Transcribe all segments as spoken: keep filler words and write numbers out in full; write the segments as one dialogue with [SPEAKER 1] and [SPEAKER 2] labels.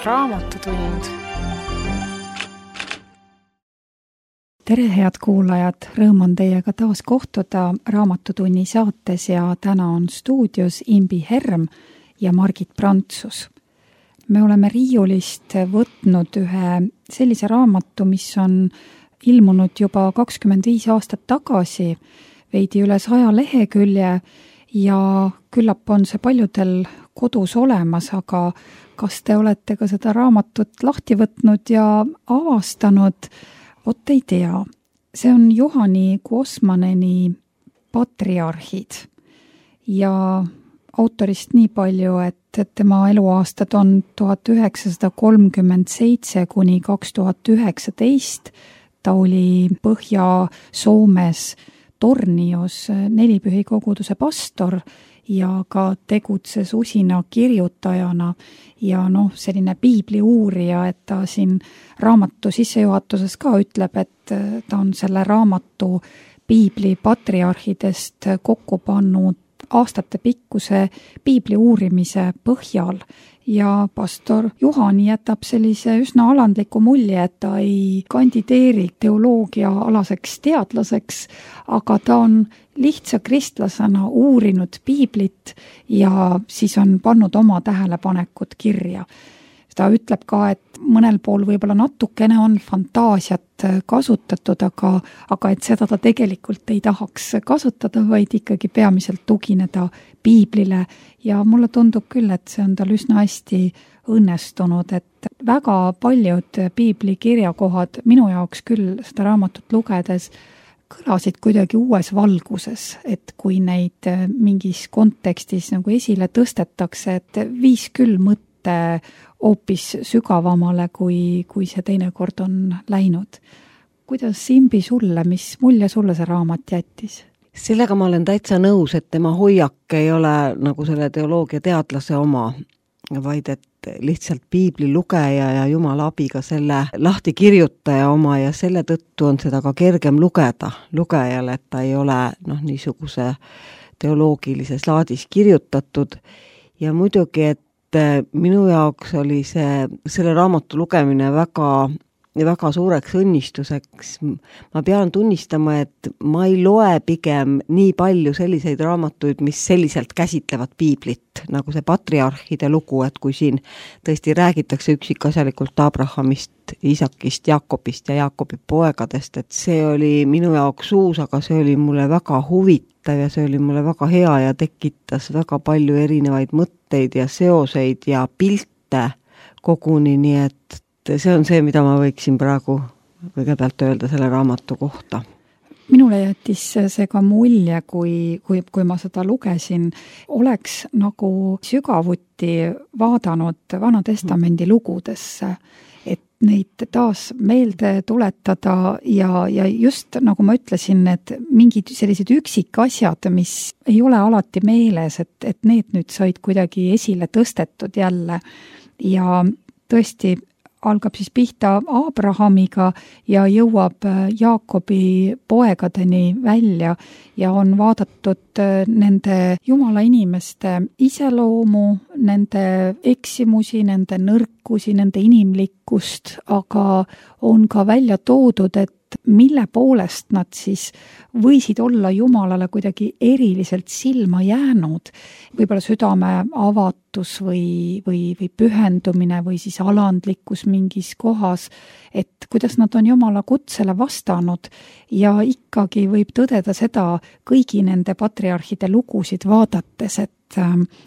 [SPEAKER 1] raamatutund.
[SPEAKER 2] Tere, head kuulajad! Rõõm on teiega taas kohtuda Raamatutunni saates ja täna on stuudios Imbi Herm ja Margit Prantsus. Me oleme riiulist võtnud ühe sellise raamatu, mis on ilmunud juba kakskümmend viis aastat tagasi, veidi üle saja lehekülje ja küllap on see paljudel kodus olemas, aga kas te olete ka seda raamatut lahti võtnud ja avastanud? Vot ei tea. See on Juhani Kuosmaneni Patriarhid ja autorist nii palju, et tema eluaastad on tuhat üheksasada kolmkümmend seitse kuni kaks tuhat üheksateist. Ta oli Põhja-Soomes Tornios nelipühi koguduse pastor ja ka tegutses usina kirjutajana ja noh, selline piibli uurija, et ta siin raamatu sissejuhatuses ka ütleb, et ta on selle raamatu piibli patriarhidest kokku pannud aastate pikkuse piibli uurimise põhjal ja pastor Juhani jätab sellise üsna alandliku mulje, et ta ei kandideeri teoloogia alaseks teadlaseks, aga ta on lihtsa kristlasena uurinud piiblit ja siis on pannud oma tähelepanekud kirja. Ta ütleb ka, et mõnel pool võib-olla natukene on fantaasiat kasutatud, aga, aga et seda ta tegelikult ei tahaks kasutada, vaid ikkagi peamiselt tugineda piiblile. Ja mulle tundub küll, et see on tal üsna hästi õnnestunud, et väga paljud piibli kirjakohad minu jaoks küll seda raamatut lugedes kõlasid kuidagi uues valguses, et kui neid mingis kontekstis nagu esile tõstetakse, et viis küll mõtte hoopis sügavamale, kui, kui see teinekord on läinud. Kuidas Imbi sulle, mis mulje sulle see raamat jättis?
[SPEAKER 3] Sellega ma olen täitsa nõus, et tema hoiak ei ole nagu selle teoloogia teadlase oma, vaid et lihtsalt piibli lugeja ja Jumala abiga selle lahti kirjutaja oma ja selle tõttu on seda ka kergem lugeda lugejale, et ta ei ole noh, niisuguse teoloogilises laadis kirjutatud ja muidugi, et minu jaoks oli see, selle raamatu lugemine väga, väga suureks õnnistuseks. Ma pean tunnistama, et ma ei loe pigem nii palju selliseid raamatuid, mis selliselt käsitlevad piiblit, nagu see patriarhide lugu, et kui siin tõesti räägitakse üksikasjalikult Abrahamist, Isakist, Jaakobist ja Jaakobi poegadest, et see oli minu jaoks uus, aga see oli mulle väga huvitav ja see oli mulle väga hea ja tekitas väga palju erinevaid mõtteid ja seoseid ja pilte koguni, nii et see on see, mida ma võiksin praegu kõigepealt öelda selle raamatu kohta.
[SPEAKER 2] Minule jättis see ka mulje, kui, kui, kui ma seda lugesin, oleks nagu sügavuti vaadanud Vana Testamendi lugudesse, et neid taas meelde tuletada ja, ja just nagu ma ütlesin, et mingid sellised üksikasjad, mis ei ole alati meeles, et, et need nüüd said kuidagi esile tõstetud jälle ja tõesti algab siis pihta Abrahamiga ja jõuab Jaakobi poegadeni välja ja on vaadatud nende Jumala inimeste iseloomu, nende eksimusi, nende nõrkusi, nende inimlikkust, aga on ka välja toodud, et mille poolest nad siis võisid olla Jumalale kuidagi eriliselt silma jäänud. Võib-olla südame avatus või, või, või pühendumine või siis alandlikkus mingis kohas, et kuidas nad on Jumala kutsele vastanud ja ikkagi võib tõdeda seda kõigi nende patriarhide lugusid vaadates, et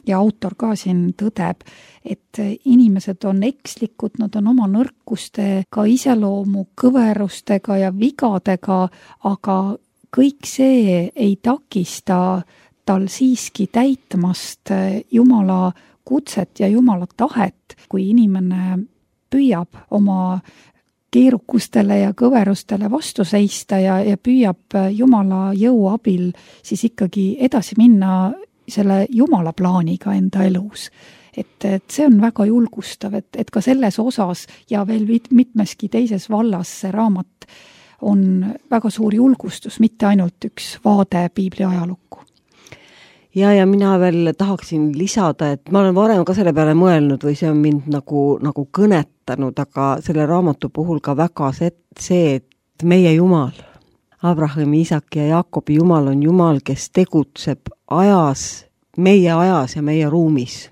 [SPEAKER 2] ja autor ka siin tõdeb, et inimesed on ekslikud, nad on oma nõrkustega, iseloomu kõverustega ja vigadega, aga kõik see ei takista tal siiski täitmast Jumala kutset ja Jumala tahet, kui inimene püüab oma keerukustele ja kõverustele vastu seista ja, ja püüab Jumala jõu abil siis ikkagi edasi minna selle Jumala plaaniga enda elus. Et, et see on väga julgustav, et, et ka selles osas ja veel mitmeski teises vallas see raamat on väga suur julgustus, mitte ainult üks vaade piibli ajalukku.
[SPEAKER 3] ja, ja mina veel tahaksin lisada, et ma olen varem ka selle peale mõelnud või see on mind nagu, nagu kõnetanud, aga selle raamatu puhul ka väga see, see, et meie Jumal, Abrahami, Iisaki ja Jaakobi Jumal on Jumal, kes tegutseb ajas, meie ajas ja meie ruumis.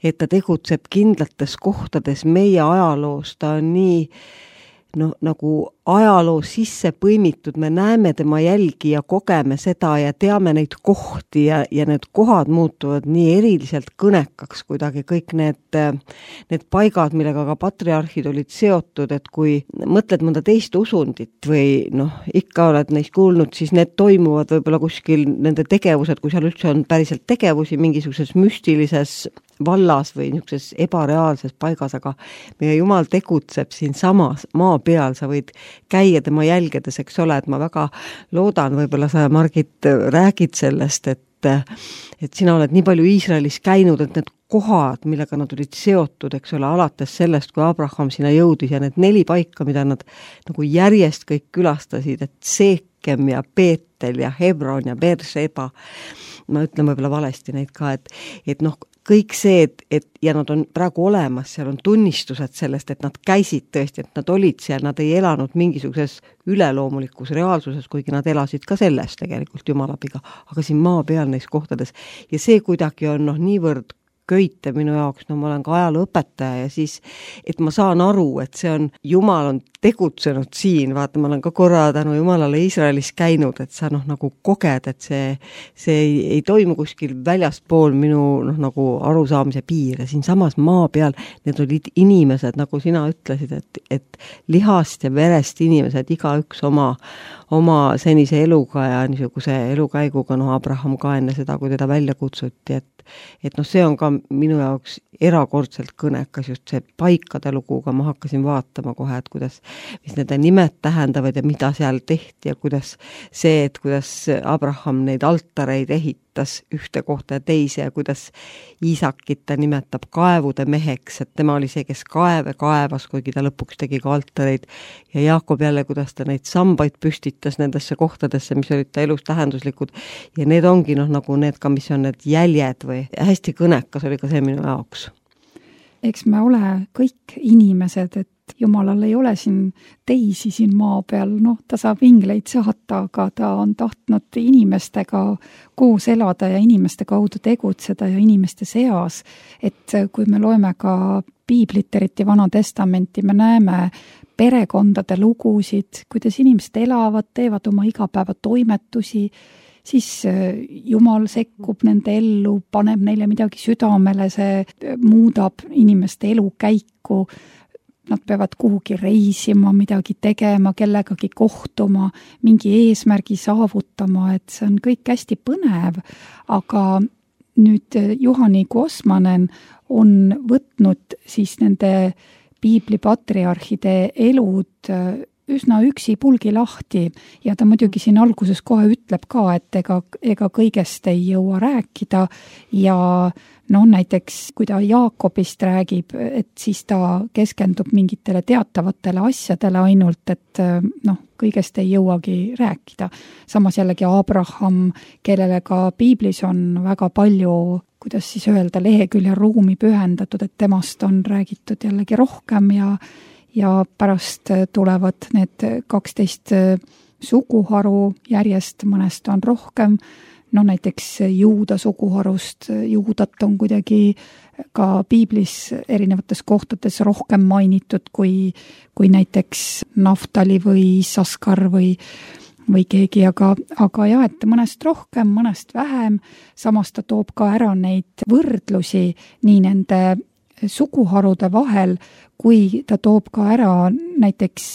[SPEAKER 3] Et ta tegutseb kindlates kohtades meie ajaloos, ta on nii no, nagu ajaloo sisse põimitud, me näeme tema jälgi ja kogeme seda ja teame neid kohti ja, ja need kohad muutuvad nii eriliselt kõnekaks kuidagi, kõik need, need paigad, millega ka patriarhid olid seotud, et kui mõtled mõnda teist usundit või noh, ikka oled neist kuulnud, siis need toimuvad võib-olla kuskil nende tegevused, kui seal üldse on päriselt tegevusi mingisuguses müstilises vallas või niisuguses ebareaalses paigas, aga meie Jumal tegutseb siin samas maa peal, sa võid käia tema jälgedes, eks ole, et ma väga loodan, võib-olla sa, Margit, räägid sellest, et, et sina oled nii palju Iisraelis käinud, et need kohad, millega nad olid seotud, eks ole, alates sellest, kui Abraham sinna jõudis ja need neli paika, mida nad nagu järjest kõik külastasid, et Seekem ja Peetel ja Hebron ja Beersheba, ma ütlen võib-olla valesti neid ka, et, et noh, kõik see, et, et ja nad on praegu olemas, seal on tunnistused sellest, et nad käisid tõesti, et nad olid seal, nad ei elanud mingisuguses üleloomulikus reaalsuses, kuigi nad elasid ka selles tegelikult Jumalabiga, aga siin maa peal neis kohtades. Ja see kuidagi on noh, niivõrd köite minu jaoks, no ma olen ka ajalooõpetaja ja siis, et ma saan aru, et see on, Jumal on tegutsenud siin, vaata, ma olen ka korra tänu Jumalale Iisraelis käinud, et sa noh, nagu koged, et see, see ei, ei toimu kuskil väljaspool minu noh, nagu arusaamise piire, siin samas maa peal, need olid inimesed, nagu sina ütlesid, et, et lihast ja verest inimesed, igaüks oma, oma senise eluga ja niisuguse elukäiguga, noh, Abraham ka enne seda, kui teda välja kutsuti, et et noh, see on ka minu jaoks erakordselt kõnekas just see paikade luguga, ma hakkasin vaatama kohe, et kuidas, mis nende nimed tähendavad ja mida seal tehti ja kuidas see, et kuidas Abraham neid altareid ehitas ühte kohta ja teise ja kuidas Iisakit ta nimetab kaevude meheks, et tema oli see, kes kaeve kaevas, kuigi ta lõpuks tegi ka altareid ja Jaakob jälle, kuidas ta neid sambaid püstitas nendesse kohtadesse, mis olid ta elus tähenduslikud ja need ongi noh, nagu need ka, mis on need jäljed või hästi kõnekas oli ka see minu jaoks.
[SPEAKER 2] Eks me ole kõik inimesed, et Jumalal ei ole siin teisi siin maa peal, noh, ta saab ingleid saata, aga ta on tahtnud inimestega koos elada ja inimeste kaudu tegutseda ja inimeste seas. Et kui me loeme ka piiblit, eriti Vana Testamenti, me näeme perekondade lugusid, kuidas inimesed elavad, teevad oma igapäeva toimetusi, siis Jumal sekkub nende ellu, paneb neile midagi südamele, see muudab inimeste elukäiku. Nad peavad kuhugi reisima, midagi tegema, kellegagi kohtuma, mingi eesmärgi saavutama, et see on kõik hästi põnev, aga nüüd Juhani Kosmanen on võtnud siis nende piibli patriarhide elud üsna üksipulgi lahti ja ta muidugi siin alguses kohe ütleb ka, et ega, ega kõigest ei jõua rääkida ja no näiteks, kui ta Jaakobist räägib, et siis ta keskendub mingitele teatavatele asjadele ainult, et noh, kõigest ei jõuagi rääkida. Samas jällegi Abraham, kellele ka piiblis on väga palju, kuidas siis öelda, lehekülje ruumi pühendatud, et temast on räägitud jällegi rohkem ja ja pärast tulevad need kaksteist suguharu järjest, mõnest on rohkem, no näiteks Juuda suguharust, Juudat on kuidagi ka piiblis erinevates kohtades rohkem mainitud kui, kui näiteks Naftali või Saskar või, või keegi, aga, aga jah, et mõnest rohkem, mõnest vähem, samas ta toob ka ära neid võrdlusi nii nende suguharude vahel, kui ta toob ka ära, näiteks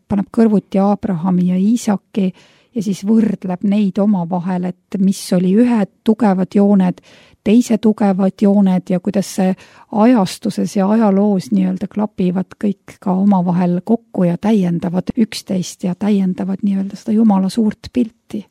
[SPEAKER 2] paneb kõrvuti Abrahami ja Iisaki ja siis võrdleb neid omavahel, et mis oli ühed tugevad jooned, teise tugevad jooned ja kuidas see ajastuses ja ajaloos nii-öelda klapivad kõik ka omavahel kokku ja täiendavad üksteist ja täiendavad nii-öelda seda Jumala suurt pilti.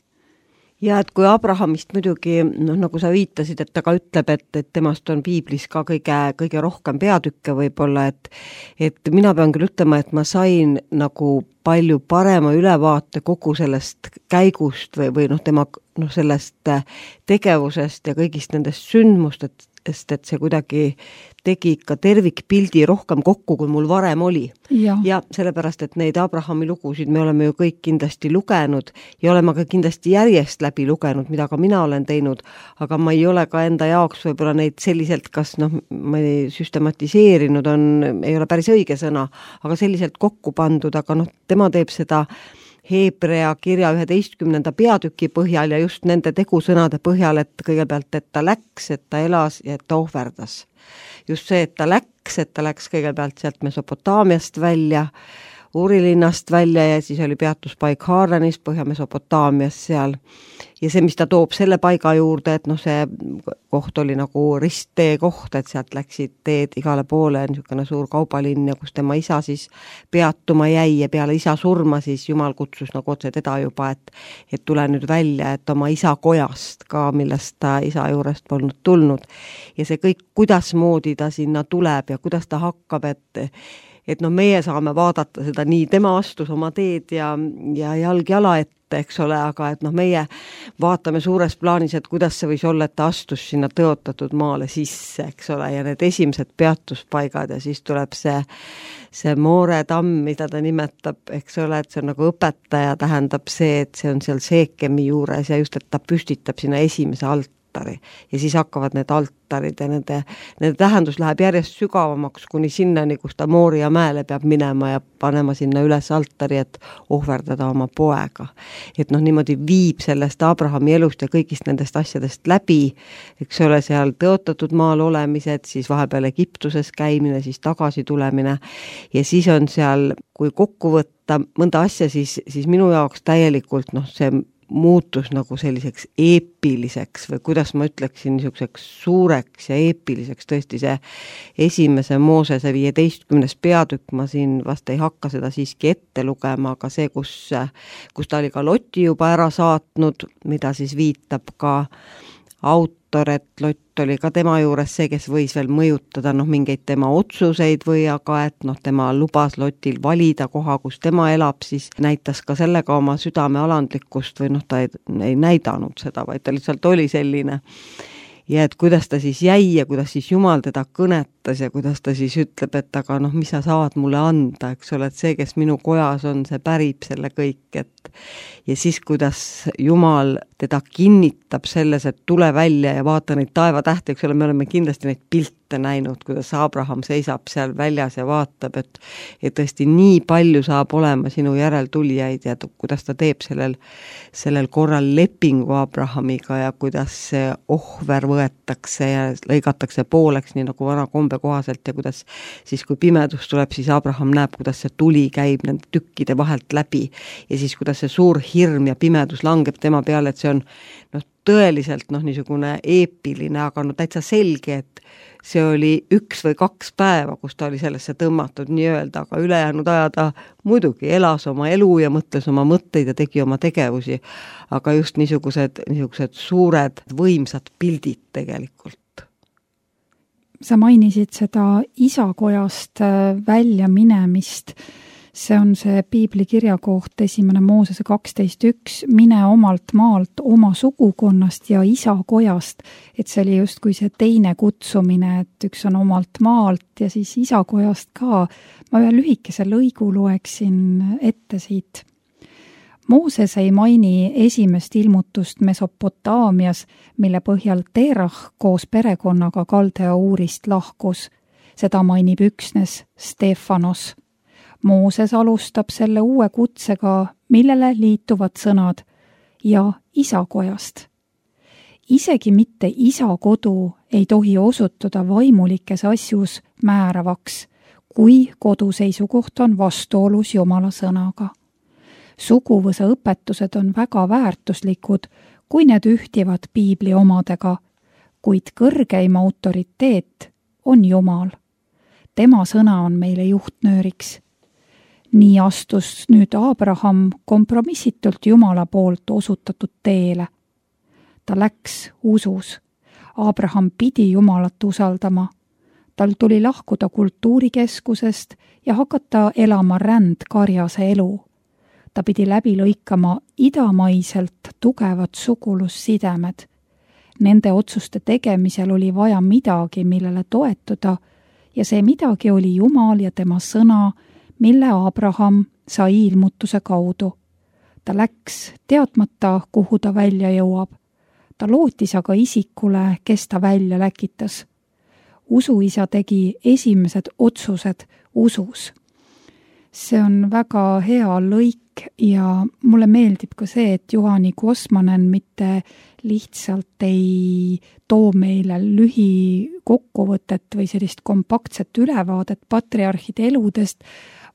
[SPEAKER 3] ja et kui Abrahamist muidugi, noh, nagu sa viitasid, et ta ka ütleb, et, et temast on piiblis ka kõige, kõige rohkem peatükke võib-olla, et et mina pean küll ütlema, et ma sain nagu palju parema ülevaate kogu sellest käigust või, või noh, tema noh, sellest tegevusest ja kõigist nendest sündmustest, et see kuidagi tegi ikka tervikpildi rohkem kokku, kui mul varem oli.
[SPEAKER 2] Ja.
[SPEAKER 3] ja sellepärast, et neid Abrahami lugusid me oleme ju kõik kindlasti lugenud ja oleme ka kindlasti järjest läbi lugenud, mida ka mina olen teinud, aga ma ei ole ka enda jaoks võib-olla neid selliselt, kas noh, ma ei süstematiseerinud on, ei ole päris õige sõna, aga selliselt kokku pandud, aga noh, tema teeb seda Heebrea kirja üheteistkümnenda peatüki põhjal ja just nende tegusõnade põhjal, et kõigepealt, et ta läks, et ta elas ja et ta ohverdas. Just see, et ta läks, et ta läks kõigepealt sealt Mesopotaamiast välja, Uurilinnast välja ja siis oli peatuspaik Haaranis, Põhja-Mesopotaamias seal. Ja see, mis ta toob selle paiga juurde, et noh, see koht oli nagu risttee koht, et sealt läksid teed igale poole, niisugune suur kaubalinn ja kus tema isa siis peatuma jäi ja peale isa surma siis Jumal kutsus nagu otse teda juba, et, et tule nüüd välja, et oma isa kojast ka, millest ta isa juurest polnud tulnud. Ja see kõik, kuidas moodi ta sinna tuleb ja kuidas ta hakkab, et et noh, meie saame vaadata seda nii, tema astus oma teed ja, ja jalg jala ette, eks ole, aga et noh, meie vaatame suures plaanis, et kuidas see võis olla, et ta astus sinna tõotatud maale sisse, eks ole, ja need esimesed peatuspaigad ja siis tuleb see, see Moore tamm, mida ta nimetab, eks ole, et see on nagu õpetaja, tähendab see, et see on seal Seekemi juures ja just, et ta püstitab sinna esimese alt, ja siis hakkavad need altarid ja nende, nende tähendus läheb järjest sügavamaks kuni sinnani, kus ta Mooria mäele peab minema ja panema sinna üles altari, et ohverdada oma poega. Et noh, niimoodi viib sellest Abrahami elust ja kõigist nendest asjadest läbi, eks ole, seal tõotatud maal olemised, siis vahepeal Egiptuses käimine, siis tagasi tulemine ja siis on seal, kui kokku võtta mõnda asja, siis, siis minu jaoks täielikult noh, see muutus nagu selliseks eepiliseks või kuidas ma ütleksin, niisuguseks suureks ja eepiliseks, tõesti see esimese Moosese viieteistkümnes peatükk, ma siin vast ei hakka seda siiski ette lugema, aga see, kus, kus ta oli ka Loti juba ära saatnud, mida siis viitab ka autor, et Lott oli ka tema juures see, kes võis veel mõjutada noh, mingeid tema otsuseid või aga, et noh, tema lubas Lotil valida koha, kus tema elab, siis näitas ka sellega oma südame alandlikkust või noh, ta ei, ei näidanud seda, vaid ta lihtsalt oli selline. Ja et kuidas ta siis jäi ja kuidas siis Jumal teda kõnetas ja kuidas ta siis ütleb, et aga noh, mis sa saad mulle anda, eks ole, et see, kes minu kojas on, see pärib selle kõik, et ja siis, kuidas Jumal teda kinnitab selles, et tule välja ja vaata neid taevatähti, eks ole, me oleme kindlasti neid pilte näinud, kuidas Abraham seisab seal väljas ja vaatab, et, et tõesti nii palju saab olema sinu järeltulijaid ja kuidas ta teeb sellel, sellel korral lepingu Abrahamiga ja kuidas see ohver võetakse ja lõigatakse pooleks, nii nagu vana kombe kohaselt ja kuidas siis, kui pimedus tuleb, siis Abraham näeb, kuidas see tuli käib nende tükkide vahelt läbi ja siis, kuidas see suur hirm ja pimedus langeb tema peale, et see on noh, tõeliselt noh, niisugune eepiline, aga no täitsa selge, et see oli üks või kaks päeva, kus ta oli sellesse tõmmatud nii-öelda, aga ülejäänud aja ta muidugi elas oma elu ja mõtles oma mõtteid ja tegi oma tegevusi, aga just niisugused, niisugused suured võimsad pildid tegelikult.
[SPEAKER 2] Sa mainisid seda isakojast välja minemist. See on see piibli kirjakoht esimene Moosese kaksteist üks, mine omalt maalt, oma sugukonnast ja isa kojast, et see oli justkui see teine kutsumine, et üks on omalt maalt ja siis isa kojast ka. Ma ühe lühikese lõigu loeksin ette siit. Mooses ei maini esimest ilmutust Mesopotaamias, mille põhjal Terah koos perekonnaga Kaldea Uurist lahkus. Seda mainib üksnes Stefanos. Mooses alustab selle uue kutsega, millele liituvad sõnad ja isakojast. Isegi mitte isa kodu ei tohi osutuda vaimulikes asjus määravaks, kui kodu seisukoht on vastuolus Jumala sõnaga. Suguvõsa õpetused on väga väärtuslikud, kui need ühtivad piibli omadega, kuid kõrgeim autoriteet on Jumal. Tema sõna on meile juhtnööriks. Nii astus nüüd Abraham kompromissitult Jumala poolt osutatud teele, ta läks usus. Abraham pidi Jumalat usaldama. Tal tuli lahkuda kultuurikeskusest ja hakata elama rändkarjase elu. Ta pidi läbi lõikama idamaiselt tugevad sugulussidemed. Nende otsuste tegemisel oli vaja midagi, millele toetuda, ja see midagi oli Jumal ja tema sõna, mille Abraham sai ilmutuse kaudu. Ta läks teadmata, kuhu ta välja jõuab. Ta lootis aga isikule, kes ta välja läkitas. Usuisa tegi esimesed otsused usus. See on väga hea lõik ja mulle meeldib ka see, et Juhani Kosmanen mitte lihtsalt ei too meile lühikokkuvõtet või sellist kompaktset ülevaadet patriarhide eludest,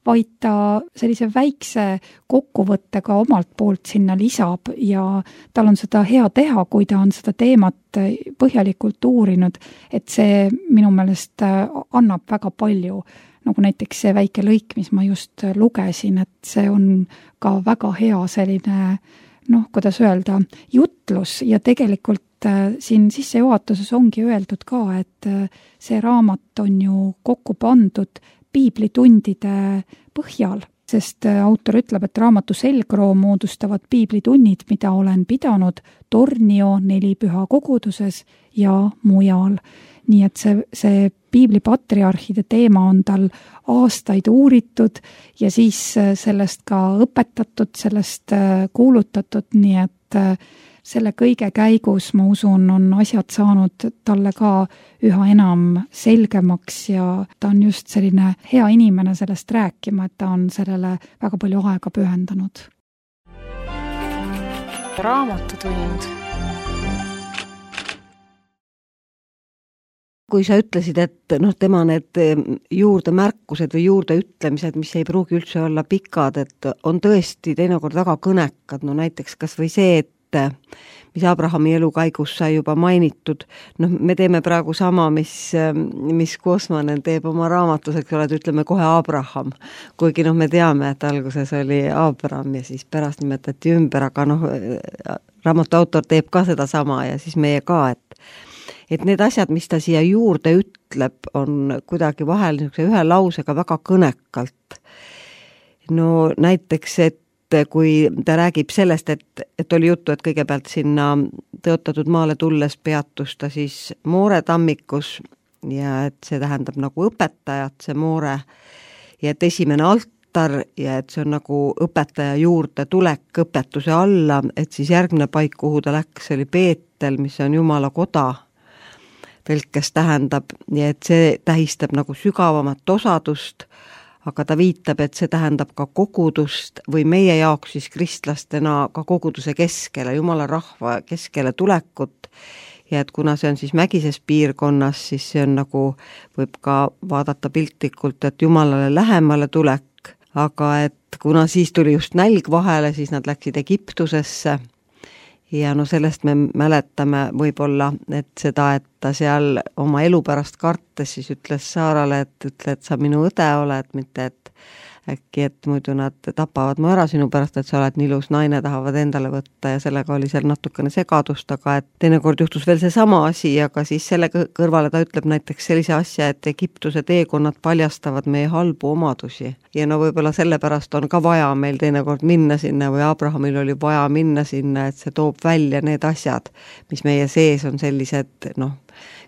[SPEAKER 2] vaid ta sellise väikse kokkuvõttega omalt poolt sinna lisab ja tal on seda hea teha, kui ta on seda teemat põhjalikult uurinud, et see minu meelest annab väga palju. Nagu näiteks see väike lõik, mis ma just lugesin, et see on ka väga hea selline, noh, kuidas öelda, jutlus ja tegelikult siin sissejuhatuses ongi öeldud ka, et see raamat on ju kokku pandud piiblitundide põhjal, sest autor ütleb, et raamatu selgroo moodustavad piiblitunnid, mida olen pidanud Tornio nelipüha koguduses ja mujal. Nii et see, see piiblipatriarhide teema on tal aastaid uuritud ja siis sellest ka õpetatud, sellest kuulutatud, nii et selle kõige käigus, ma usun, on asjad saanud talle ka üha enam selgemaks ja ta on just selline hea inimene sellest rääkima, et ta on sellele väga palju aega pühendanud.
[SPEAKER 1] Raamatutund.
[SPEAKER 3] Kui sa ütlesid, et noh, tema need juurdemärkused või juurdeütlemised, mis ei pruugi üldse olla pikad, et on tõesti teinekord väga kõnekad, no näiteks kas või see, et mis Abrahami elu käigus sai juba mainitud, noh, me teeme praegu sama, mis, mis Kosmanen teeb oma raamatus, eks ole, et ütleme kohe Abraham, kuigi noh, me teame, et alguses oli Abraham ja siis pärast nimetati ümber, aga noh, raamatu autor teeb ka seda sama ja siis meie ka, et et need asjad, mis ta siia juurde ütleb, on kuidagi vahel ühe lausega väga kõnekalt. No näiteks, et kui ta räägib sellest, et, et oli juttu, et kõigepealt sinna tõotatud maale tulles peatus ta siis Moore tammikus ja et see tähendab nagu õpetajat, see Moore, ja et esimene altar ja et see on nagu õpetaja juurde tulek õpetuse alla, et siis järgmine paik, kuhu ta läks, oli Beetel, mis on Jumala koda, tõlkes tähendab, ja et see tähistab nagu sügavamat osadust, aga ta viitab, et see tähendab ka kogudust või meie jaoks siis kristlastena ka koguduse keskele, Jumala rahva keskele tulekut, ja et kuna see on siis mägises piirkonnas, siis see on nagu, võib ka vaadata piltlikult, et Jumalale lähemale tulek, aga et kuna siis tuli just nälg vahele, siis nad läksid Egiptusesse, ja no sellest me mäletame võib-olla, et seda, et ta seal oma elu pärast kartes siis ütles Saarale, et ütle, et sa minu õde oled, mitte et äkki, et muidu nad tapavad mu ära sinu pärast, et sa oled nii ilus naine, tahavad endale võtta ja sellega oli seal natukene segadust, aga et teinekord juhtus veel see sama asi, aga siis selle kõrvale ta ütleb näiteks sellise asja, et Egiptuse teekonnad paljastavad meie halbu omadusi. Ja no võib-olla sellepärast on ka vaja meil teinekord minna sinna või Abrahamil oli vaja minna sinna, et see toob välja need asjad, mis meie sees on sellised, noh,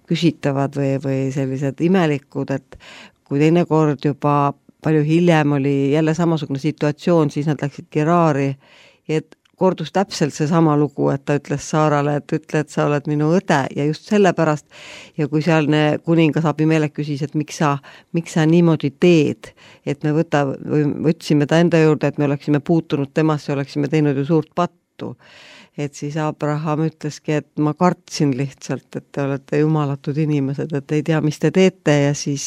[SPEAKER 3] küsitavad või, või sellised imelikud, et kui teinekord juba palju hiljem oli jälle samasugune situatsioon, siis nad läksid Geraari ja et kordus täpselt see sama lugu, et ta ütles Saarale, et ütle, et sa oled minu õde ja just sellepärast ja kui sealne kuningas Abimelek küsis, et miks sa, miks sa niimoodi teed, et me võta, või võtsime ta enda juurde, et me oleksime puutunud temasse, oleksime teinud ju suurt pattu. Et siis Abraham ütleski, et ma kartsin lihtsalt, et te olete jumalatud inimesed, et ei tea, mis te teete ja siis,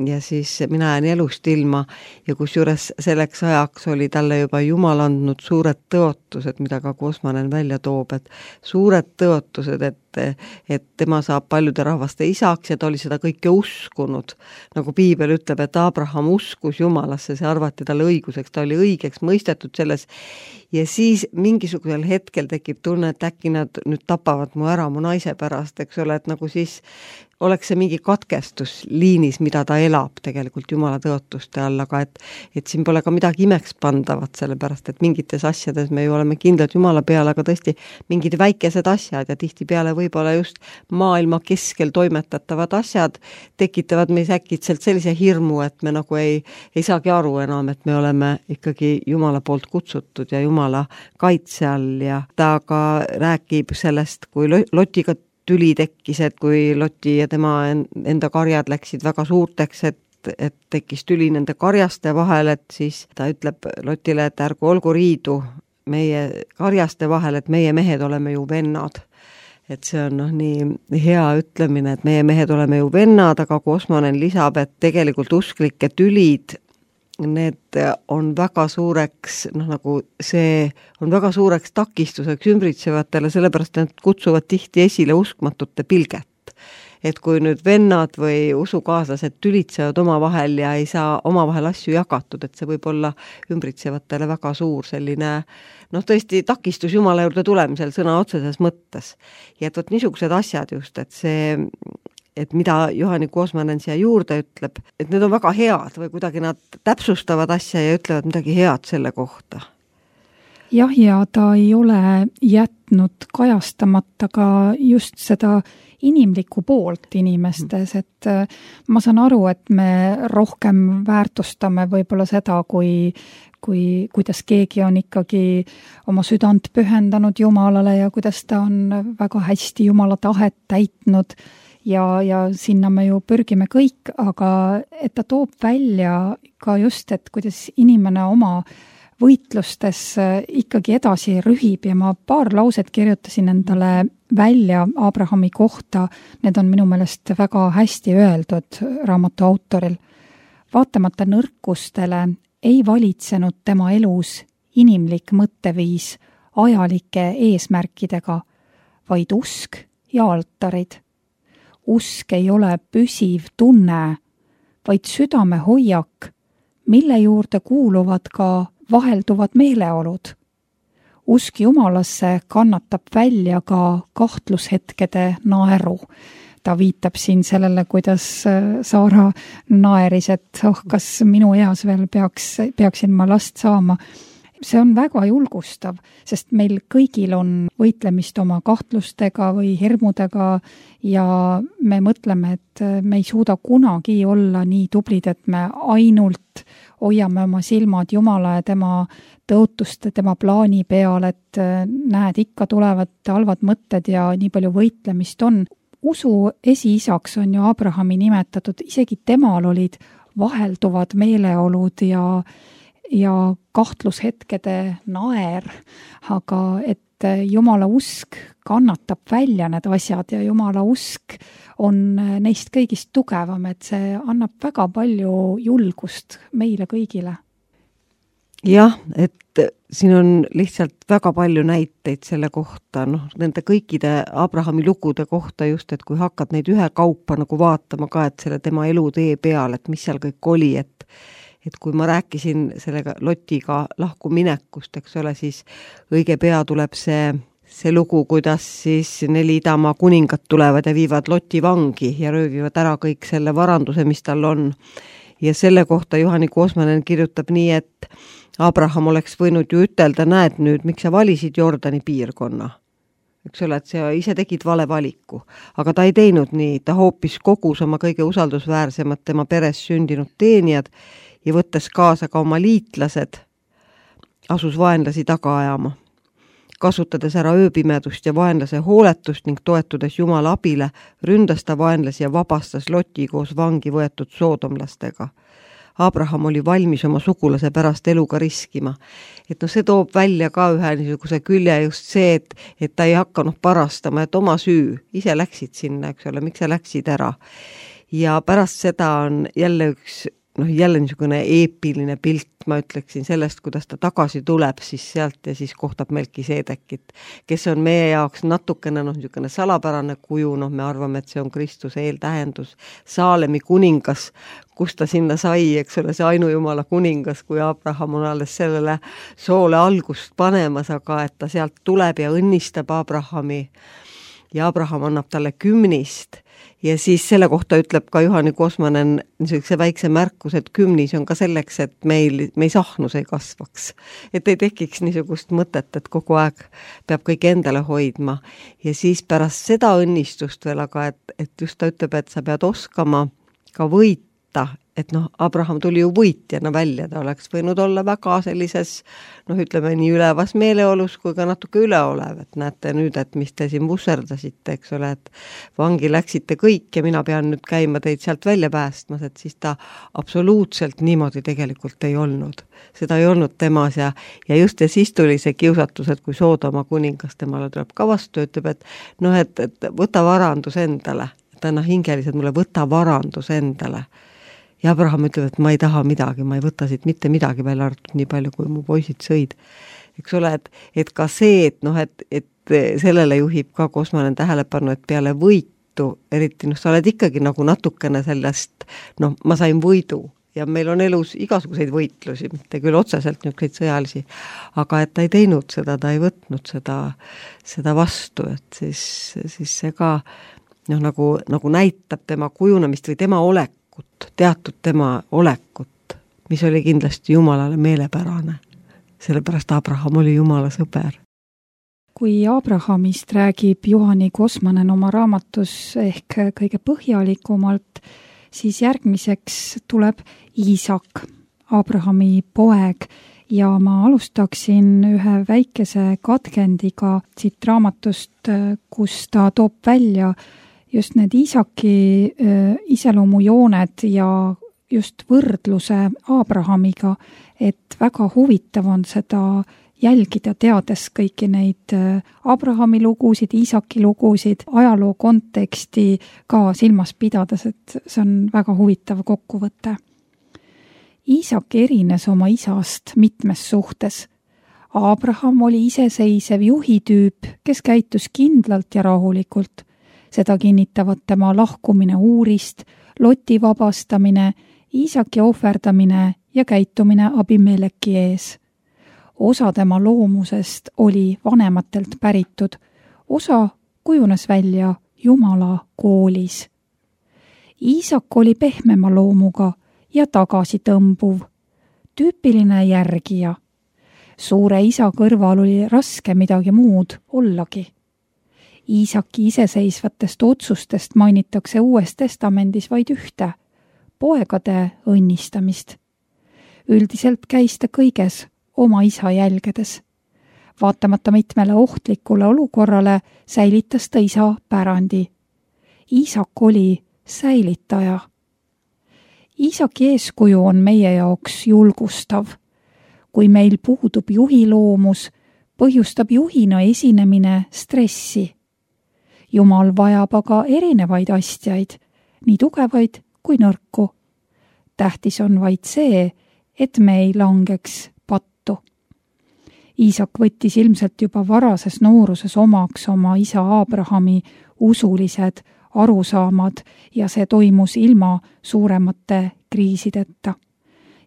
[SPEAKER 3] ja siis mina jään elust ilma ja kusjuures selleks ajaks oli talle juba Jumal andnud suured tõotused, mida ka Kosmanen välja toob, et suured tõotused, et et tema saab paljude rahvaste isaks ja ta oli seda kõike uskunud. Nagu piibel ütleb, et Abraham uskus Jumalasse, see arvati talle õiguseks, ta oli õigeks mõistetud selles ja siis mingisugusel hetkel mehel tekib tunne, et äkki nad nüüd tapavad mu ära mu naise pärast, eks ole, et nagu siis oleks see mingi katkestus liinis, mida ta elab tegelikult Jumala tõotuste all, aga et, et siin pole ka midagi imeks pandavat, sellepärast, et mingites asjades me ju oleme kindlad Jumala peale, aga tõesti mingid väikesed asjad ja tihtipeale võib-olla just maailma keskel toimetatavad asjad tekitavad meis äkitselt sellise hirmu, et me nagu ei, ei saagi aru enam, et me oleme ikkagi Jumala poolt kutsutud ja Jumala kaitse all ja ta ka räägib sellest, kui Lotiga tüli tekkis, et kui Loti ja tema enda karjad läksid väga suurteks, et, et tekkis tüli nende karjaste vahel, et siis ta ütleb Lotile, et ärgu olgu riidu meie karjaste vahel, et meie mehed oleme ju vennad. Et see on noh, nii hea ütlemine, et meie mehed oleme ju vennad, aga Kosmonen lisab, et tegelikult usklike tülid, need on väga suureks, noh nagu see on väga suureks takistuseks ümbritsevatele, sellepärast nad kutsuvad tihti esile uskmatute pilget. Et kui nüüd vennad või usukaaslased tülitsevad omavahel ja ei saa omavahel asju jagatud, et see võib olla ümbritsevatele väga suur selline, noh tõesti takistus Jumala juurde tulemisel sõna otseses mõttes. Ja et võt niisugused asjad just, et see et mida Juhani Kosmonen siia juurde ütleb, et need on väga head või kuidagi nad täpsustavad asja ja ütlevad midagi head selle kohta.
[SPEAKER 2] Jah, ja ta ei ole jätnud kajastamata ka just seda inimlikku poolt inimestes, et ma saan aru, et me rohkem väärtustame võib-olla seda, kui kui, kuidas keegi on ikkagi oma südant pühendanud Jumalale ja kuidas ta on väga hästi Jumala tahet täitnud ja, ja sinna me ju pürgime kõik, aga et ta toob välja ka just, et kuidas inimene oma võitlustes ikkagi edasi rühib ja ma paar lauset kirjutasin endale välja Abrahami kohta, need on minu meelest väga hästi öeldud raamatu autoril. Vaatamata nõrkustele ei valitsenud tema elus inimlik mõtteviis ajalike eesmärkidega, vaid usk ja altarid. Usk ei ole püsiv tunne, vaid südame hoiak, mille juurde kuuluvad ka vahelduvad meeleolud. Usk Jumalasse kannatab välja ka kahtlushetkede naeru. Ta viitab siin sellele, kuidas Saara naeris, et oh, kas minu eas veel peaks, peaksin ma last saama. See on väga julgustav, sest meil kõigil on võitlemist oma kahtlustega või hirmudega ja me mõtleme, et me ei suuda kunagi olla nii tublid, et me ainult hoiame oma silmad Jumala ja tema tõotuste, tema plaani peal, et näed, ikka tulevad halvad mõtted ja nii palju võitlemist on. Usu esiisaks on ju Abrahami nimetatud, isegi temal olid vahelduvad meeleolud ja ja kahtlushetkede naer, aga et Jumala usk kannatab välja need asjad ja Jumala usk on neist kõigist tugevam, et see annab väga palju julgust meile kõigile.
[SPEAKER 3] Jah, et siin on lihtsalt väga palju näiteid selle kohta, noh, nende kõikide Abrahami lugude kohta just, et kui hakkad neid ühe kaupa nagu vaatama ka, et selle tema elutee peal, et mis seal kõik oli, et et kui ma rääkisin sellega Lotiga lahku minekust, eks ole, siis õige pea tuleb see, see lugu, kuidas siis neli idamaa kuningat tulevad ja viivad Loti vangi ja röövivad ära kõik selle varanduse, mis tal on. Ja selle kohta Juhani Kosmonen kirjutab nii, et Abraham oleks võinud ju ütelda, näed nüüd, miks sa valisid Jordani piirkonna. Eks ole, et sa ise tegid vale valiku, aga ta ei teinud nii, ta hoopis kogus oma kõige usaldusväärsemad tema peres sündinud teenijad ja võttes kaasa ka oma liitlased, asus vaenlasi taga ajama. Kasutades ära ööpimedust ja vaenlase hooletust ning toetudes Jumala abile, ründas ta vaenlasi ja vabastas Loti koos vangi võetud soodomlastega. Abraham oli valmis oma sugulase pärast eluga riskima. Et no see toob välja ka ühe niisuguse külje just see, et, et ta ei hakanud parastama, et oma süü, ise läksid sinna, eks ole, miks sa läksid ära. Ja pärast seda on jälle üks noh, jälle niisugune eepiline pilt, ma ütleksin sellest, kuidas ta tagasi tuleb siis sealt ja siis kohtab Melkiseedekit, kes on meie jaoks natukene noh, niisugune salapärane kuju, noh, me arvame, et see on Kristuse eeltähendus, Saalemi kuningas, kus ta sinna sai, eks ole, see ainujumala kuningas, kui Abraham on alles sellele soole algust panemas, aga et ta sealt tuleb ja õnnistab Abrahami ja Abraham annab talle kümnist ja siis selle kohta ütleb ka Juhani Kosmanen niisuguse väikse märkus, et kümnis on ka selleks, et meil, meil sahnus ei kasvaks. Et ei tekiks niisugust mõtet, et kogu aeg peab kõik endale hoidma. Ja siis pärast seda õnnistust veel, aga et, et just ta ütleb, et sa pead oskama ka võita, et noh, Abraham tuli ju võitjana välja, ta oleks võinud olla väga sellises, noh, ütleme nii ülevas meeleolus kui ka natuke üleolev, et näete nüüd, et mis te siin vusserdasite, eks ole, et vangi läksite kõik ja mina pean nüüd käima teid sealt välja päästmas, et siis ta absoluutselt niimoodi tegelikult ei olnud. Seda ei olnud temas ja, ja just ja siis tuli see kiusatus, et kui Soodoma kuningas temale tuleb ka vastu, ütleb, et noh, et, et võta varandus endale, et anna hingeliselt mulle, võta varandus endale. Ja Abraham ütleb, et ma ei taha midagi, ma ei võta siit mitte midagi välja arvatud nii palju, kui mu poisid sõid. Eks ole, et, et ka see, et, noh, et, et sellele juhib ka Kosmanen tähelepanu, et peale võitu, eriti noh, sa oled ikkagi nagu natukene sellest, noh, ma sain võidu ja meil on elus igasuguseid võitlusi, mitte küll otseselt niisuguseid sõjalisi, aga et ta ei teinud seda, ta ei võtnud seda, seda vastu, et siis, siis see ka noh, nagu, nagu näitab tema kujunemist või tema olek, teatud tema olekut, mis oli kindlasti Jumalale meelepärane. Sellepärast Abraham oli Jumala sõber.
[SPEAKER 2] Kui Abrahamist räägib Juhani Kosmanen oma raamatus ehk kõige põhjalikumalt, siis järgmiseks tuleb Iisak, Abrahami poeg, ja ma alustaksin ühe väikese katkendiga siit raamatust, kus ta toob välja just need Iisaki iseloomujooned ja just võrdluse Abrahamiga, et väga huvitav on seda jälgida, teades kõiki neid Abrahami lugusid, Iisaki lugusid, ajaloo konteksti ka silmas pidades, et see on väga huvitav kokkuvõte. Iisak erines oma isast mitmes suhtes. Abraham oli iseseisev juhitüüp, kes käitus kindlalt ja rahulikult. Seda kinnitavad tema lahkumine Uurist, Loti vabastamine, Iisaki ohverdamine ja käitumine Abimeleki ees. Osa tema loomusest oli vanematelt päritud, osa kujunes välja Jumala koolis. Iisak oli pehmema loomuga ja tagasitõmbuv, tüüpiline järgija. Suure isa kõrval oli raske midagi muud ollagi. Iisaki iseseisvatest otsustest mainitakse Uues testamendis vaid ühte, poegade õnnistamist. Üldiselt käis ta kõiges oma isa jälgedes. Vaatamata mitmele ohtlikule olukorrale säilitas ta isa pärandi. Iisak oli säilitaja. Iisaki eeskuju on meie jaoks julgustav. Kui meil puudub juhiloomus, põhjustab juhina esinemine stressi. Jumal vajab aga erinevaid astjaid, nii tugevaid kui nõrku. Tähtis on vaid see, et me ei langeks pattu. Iisak võttis ilmselt juba varases nooruses omaks oma isa Abrahami usulised arusaamad ja see toimus ilma suuremate kriisideta.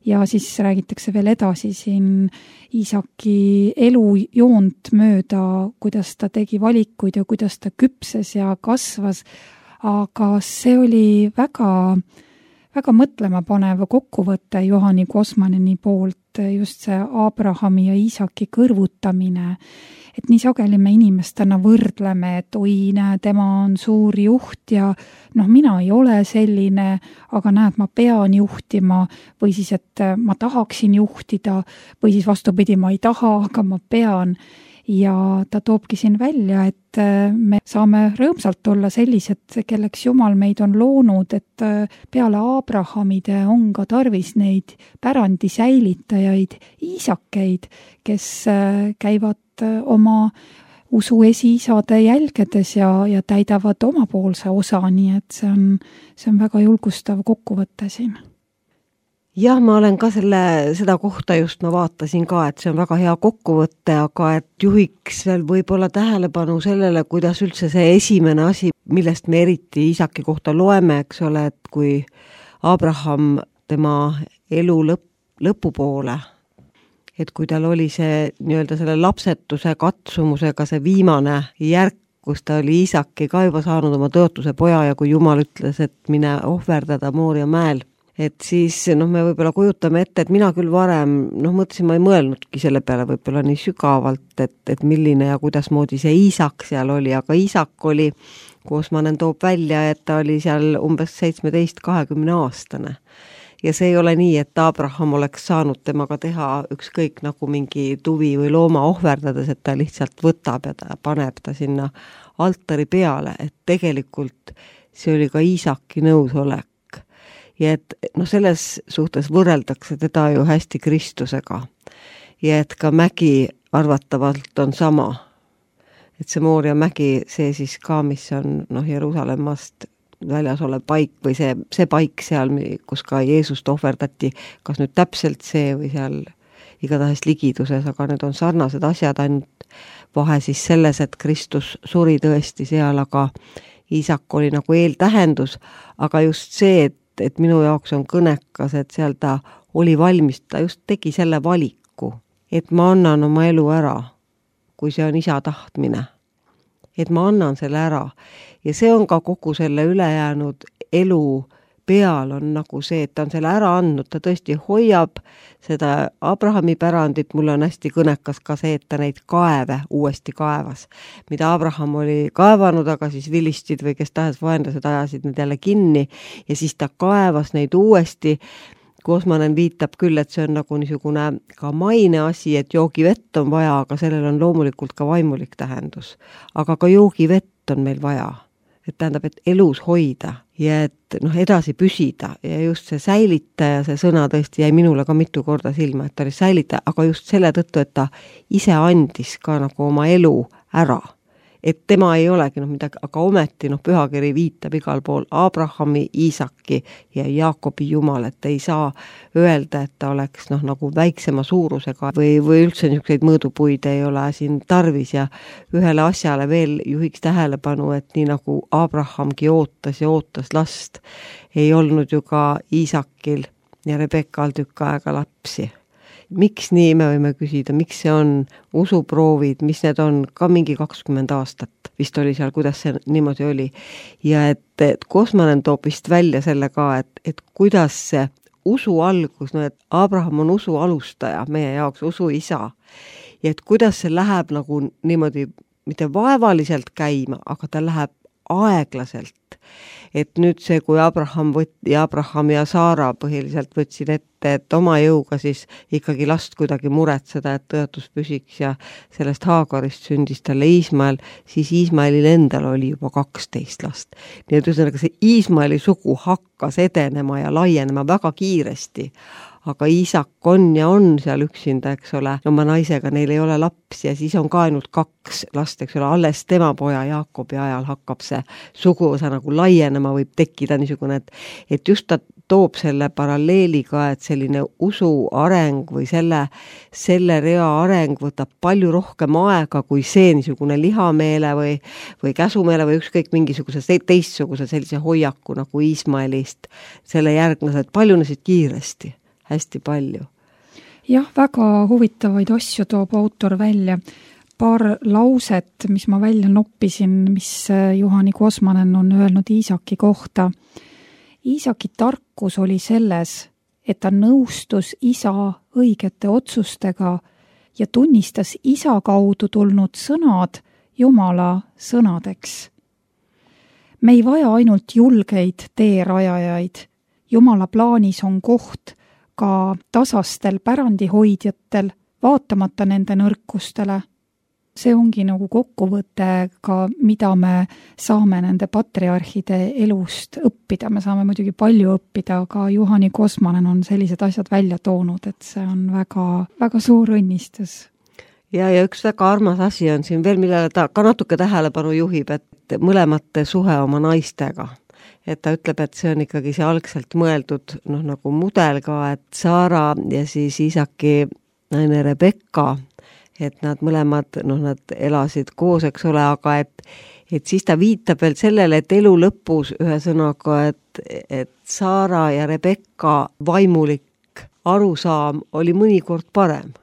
[SPEAKER 2] Ja siis räägitakse veel edasi siin Iisaki elujoont mööda, kuidas ta tegi valikuid ja kuidas ta küpses ja kasvas, aga see oli väga, väga mõtlema panev kokkuvõte Juhani Kosmaneni poolt, just see Abrahami ja Iisaki kõrvutamine, et nii sageli me inimestena võrdleme, et oi, näe, tema on suur juht ja noh, mina ei ole selline, aga näed, ma pean juhtima või siis, et ma tahaksin juhtida või siis vastupidi, ma ei taha, aga ma pean. Ja ta toobki siin välja, et me saame rõõmsalt olla sellised, kelleks Jumal meid on loonud, et peale Abrahamide on ka tarvis neid pärandi säilitajaid, iisakeid, kes käivad oma usu esiisade jälgedes ja, ja täidavad omapoolse osa, nii et see on, see on väga julgustav kokkuvõte siin.
[SPEAKER 3] jah, ma olen ka selle, seda kohta just ma vaatasin ka, et see on väga hea kokkuvõte, aga et juhiks veel võib-olla tähelepanu sellele, kuidas üldse see esimene asi, millest me eriti Iisaki kohta loeme, eks ole, et kui Abraham tema elu lõpp, lõpupoole, et kui tal oli see nii-öelda selle lapsetuse katsumusega see viimane järk, kus ta oli Iisaki ka juba saanud oma tõotuse poja ja kui Jumal ütles, et mine ohverdada Mooria mäel, et siis noh, me võib-olla kujutame ette, et mina küll varem, noh mõtlesin, ma ei mõelnudki selle peale võib-olla nii sügavalt, et, et milline ja kuidas moodi see Iisak seal oli, aga Iisak oli, Koosmanen toob välja, et ta oli seal umbes seitsmeteist kahekümne aastane. Ja see ei ole nii, et Abraham oleks saanud temaga teha ükskõik nagu mingi tuvi või looma ohverdades, et ta lihtsalt võtab ja ta paneb ta sinna altari peale, et tegelikult see oli ka Iisaki nõusolek. Ja et no selles suhtes võrreldakse teda ju hästi Kristusega. Ja et ka mägi arvatavalt on sama. Et see Mooria mägi, see siis ka, mis on noh, Jeruusalemmast väljas olev paik või see, see paik seal, kus ka Jeesust ohverdati, kas nüüd täpselt see või seal igatahes ligiduses, aga need on sarnased asjad, ainult vahe siis selles, et Kristus suri tõesti seal, aga Iisak oli nagu eeltähendus, aga just see, et et minu jaoks on kõnekas, et seal ta oli valmis, ta just tegi selle valiku, et ma annan oma elu ära, kui see on isa tahtmine. Et ma annan selle ära. Ja see on ka kogu selle ülejäänud elu peal on nagu see, et ta on selle ära andnud, ta tõesti hoiab seda Abrahami pärandit, mulle on hästi kõnekas ka see, et ta neid kaeve uuesti kaevas, mida Abraham oli kaevanud, aga siis vilistid või kes tahes vaenlased ajasid need jälle kinni ja siis ta kaevas neid uuesti. Koosmanen viitab küll, et see on nagu niisugune ka maine asi, et joogivett on vaja, aga sellel on loomulikult ka vaimulik tähendus. Aga ka joogivett on meil vaja. Et tähendab, et elus hoida ja et noh, edasi püsida ja just see säilitaja, see sõna tõesti jäi minule ka mitu korda silma, et ta oli säilitaja, aga just selle tõttu, et ta ise andis ka nagu oma elu ära. Et tema ei olegi noh midagi, aga ometi noh, pühakiri viitab igal pool Abrahami, Iisaki ja Jaakobi Jumal, et ei saa öelda, et ta oleks noh nagu väiksema suurusega või, või üldse niisuguseid mõõdupuid ei ole siin tarvis ja ühele asjale veel juhiks tähelepanu, et nii nagu Abrahamgi ootas ja ootas last, ei olnud ju ka Iisakil ja Rebekal tükk aega lapsi. Miks nii, me võime küsida, miks see on usuproovid, mis need on ka mingi kakskümmend aastat, vist oli seal, kuidas see niimoodi oli. Ja et, et Koosmanen toob vist välja selle ka, et, et kuidas see usu algus, no et Abraham on usu alustaja, meie jaoks usu isa. Ja et kuidas see läheb nagu niimoodi, mitte vaevaliselt käima, aga ta läheb aeglaselt. Et nüüd see, kui Abraham võtti, Abraham ja Saara põhiliselt võtsid ette, et oma jõuga siis ikkagi last kuidagi muretseda, et tõotus püsiks ja sellest Haagarist sündis talle Iismael, siis Iismaelil endal oli juba kaksteist last. Nii et ühesõnaga see Iismaeli sugu hakkas edenema ja laienema väga kiiresti. Aga Iisak on ja on seal üksinda, eks ole, oma naisega, neil ei ole lapsi ja siis on ka ainult kaks last, eks ole, alles tema poja Jaakobi ajal hakkab see suguvõsa nagu laienema, võib tekkida niisugune, et, et just ta toob selle paralleeliga, et selline usu areng või selle, selle rea areng võtab palju rohkem aega kui see niisugune lihameele või, või käsumeele või ükskõik mingisuguse teistsuguse sellise hoiaku nagu Iismaelist selle järglased paljunesid kiiresti. Hästi palju.
[SPEAKER 2] Jah, väga huvitavaid asju toob autor välja. Paar lauset, mis ma välja noppisin, mis Juhani Koosmanen on öelnud Iisaki kohta. Iisaki tarkus oli selles, et ta nõustus isa õigete otsustega ja tunnistas isa kaudu tulnud sõnad Jumala sõnadeks. Me ei vaja ainult julgeid teerajajaid. Jumala plaanis on koht ka tasastel pärandihoidjatel, vaatamata nende nõrkustele. See ongi nagu kokkuvõte ka, mida me saame nende patriarhide elust õppida. Me saame muidugi palju õppida, aga Juhani Koosmanen on sellised asjad välja toonud, et see on väga, väga suur õnnistus.
[SPEAKER 3] Ja, ja üks väga armas asi on siin veel, millele ta ka natuke tähelepanu juhib, et mõlemate suhe oma naistega. et ta ütleb, et see on ikkagi see algselt mõeldud noh, nagu mudel ka, et Saara ja siis Iisaki naine Rebekka, et nad mõlemad, noh, nad elasid koos, eks ole, aga et, et siis ta viitab veel sellele, et elu lõpus ühesõnaga, et, et Saara ja Rebekka vaimulik arusaam oli mõnikord parem.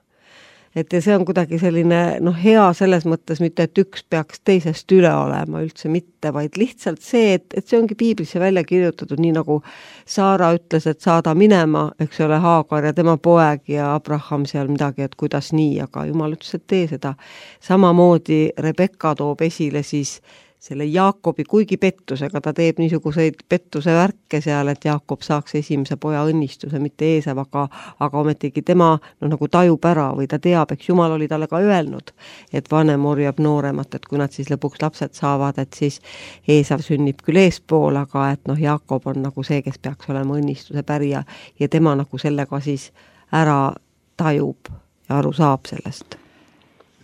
[SPEAKER 3] Et ja see on kuidagi selline noh, hea selles mõttes mitte, et üks peaks teisest üle olema, üldse mitte, vaid lihtsalt see, et, et see ongi piiblisse välja kirjutatud, nii nagu Saara ütles, et saada minema, eks ole, Haagar ja tema poeg ja Abraham seal midagi, et kuidas nii, aga Jumal ütles, et tee seda. Samamoodi Rebekka toob esile siis selle Jaakobi, kuigi pettusega, ta teeb niisuguseid pettuse värke seal, et Jaakob saaks esimese poja õnnistuse, mitte Eesav, aga, aga ometigi tema no, nagu tajub ära või ta teab, eks Jumal oli talle ka öelnud, et vanem orjab nooremat, et kui nad siis lõpuks lapsed saavad, et siis Eesav sünnib küll eespool, aga et noh, Jaakob on nagu see, kes peaks olema õnnistuse pärija ja tema nagu sellega siis ära tajub ja aru saab sellest.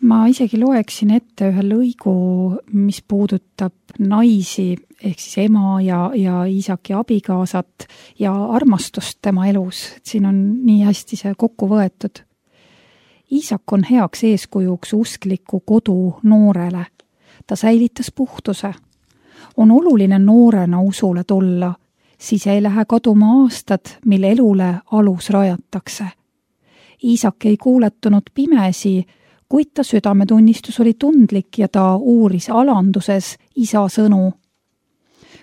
[SPEAKER 2] Ma isegi loeksin ette ühe lõigu, mis puudutab naisi, ehk siis ema ja, ja Iisaki abikaasat ja armastust tema elus. Siin on nii hästi see kokku võetud. Iisak on heaks eeskujuks uskliku kodu noorele. Ta säilitas puhtuse. On oluline noorena usule tulla, siis ei lähe kaduma aastad, mil elule alus rajatakse. Iisak ei kuuletunud pimesi, kuid ta südametunnistus oli tundlik ja ta uuris alanduses isa sõnu.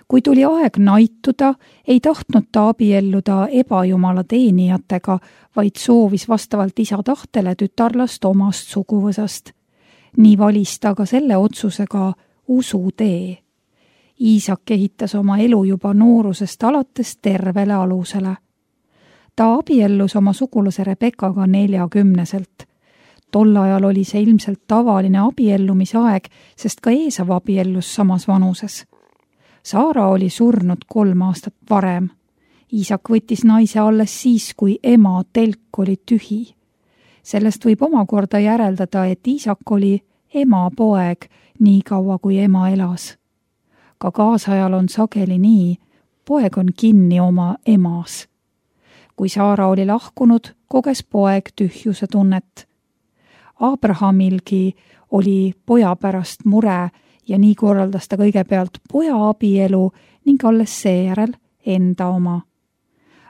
[SPEAKER 2] Kui tuli aeg naituda, ei tahtnud ta abielluda ebajumala teenijatega, vaid soovis vastavalt isa tahtele tütarlast omast suguvõsast. Nii valis ta ka selle otsusega usu tee. Iisak ehitas oma elu juba noorusest alates tervele alusele. Ta abiellus oma sugulase Rebekkaga neljakümneselt. Tol ajal oli see ilmselt tavaline abiellumisaeg, sest ka Eesav abiellus samas vanuses. Saara oli surnud kolm aastat varem. Iisak võttis naise alles siis, kui ema telk oli tühi. Sellest võib omakorda järeldada, et Iisak oli ema poeg nii kaua, kui ema elas. Ka kaasajal on sageli nii, poeg on kinni oma emas. Kui Saara oli lahkunud, koges poeg tühjuse tunnet. Abrahamilgi oli poja pärast mure ja nii korraldas ta kõigepealt poja abielu ning alles seejärel enda oma.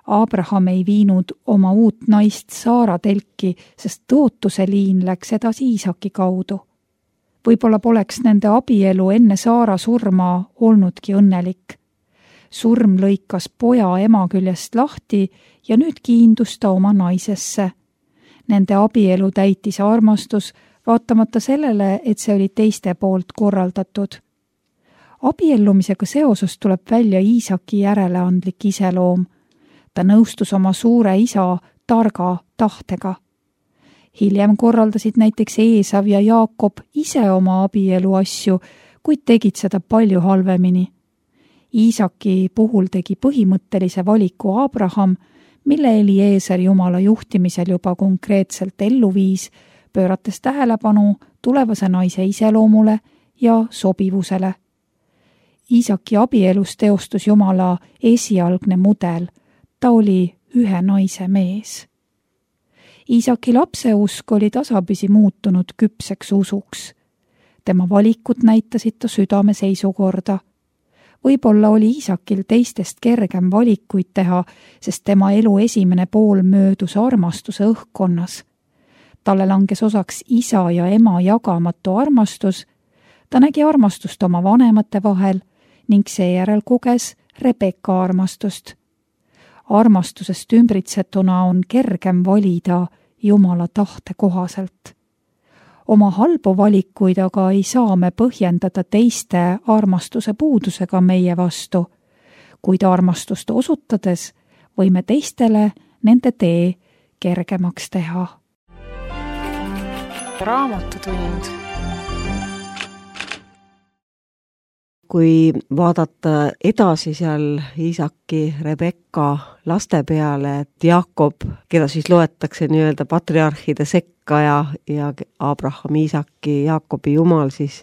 [SPEAKER 2] Abraham ei viinud oma uut naist Saara telki, sest tõotuse liin läks edasi Iisaki kaudu. Võib-olla poleks nende abielu enne Saara surma olnudki õnnelik. Surm lõikas poja ema küljest lahti ja nüüd kiindus ta oma naisesse. Nende abielu täitis armastus, vaatamata sellele, et see oli teiste poolt korraldatud. Abiellumisega seoses tuleb välja Iisaki järeleandlik iseloom. Ta nõustus oma suure isa targa tahtega. Hiljem korraldasid näiteks Eesav ja Jaakob ise oma abielu asju, kuid tegid seda palju halvemini. Iisaki puhul tegi põhimõttelise valiku Abraham, mille Eliezer Jumala juhtimisel juba konkreetselt ellu viis, pöörates tähelepanu tulevase naise iseloomule ja sobivusele. Iisaki abielus teostus Jumala esialgne mudel, ta oli ühe naise mees. Iisaki lapseusk oli tasapisi muutunud küpseks usuks. Tema valikud näitasid ta südame seisukorda. Võib-olla oli Iisakil teistest kergem valikuid teha, sest tema elu esimene pool möödus armastuse õhkkonnas. Talle langes osaks isa ja ema jagamatu armastus, ta nägi armastust oma vanemate vahel ning seejärel koges Rebekka armastust. Armastusest ümbritsetuna on kergem valida Jumala tahte kohaselt. Oma halbu valikuid aga ei saa me põhjendada teiste armastuse puudusega meie vastu, kuid armastust osutades võime teistele nende tee kergemaks teha.
[SPEAKER 1] Raamatutund.
[SPEAKER 3] Kui vaadata edasi seal Iisaki, Rebekka laste peale, et Jaakob, keda siis loetakse nii-öelda patriarhide sekka ja, ja Abraham, Iisaki, Jaakobi jumal, siis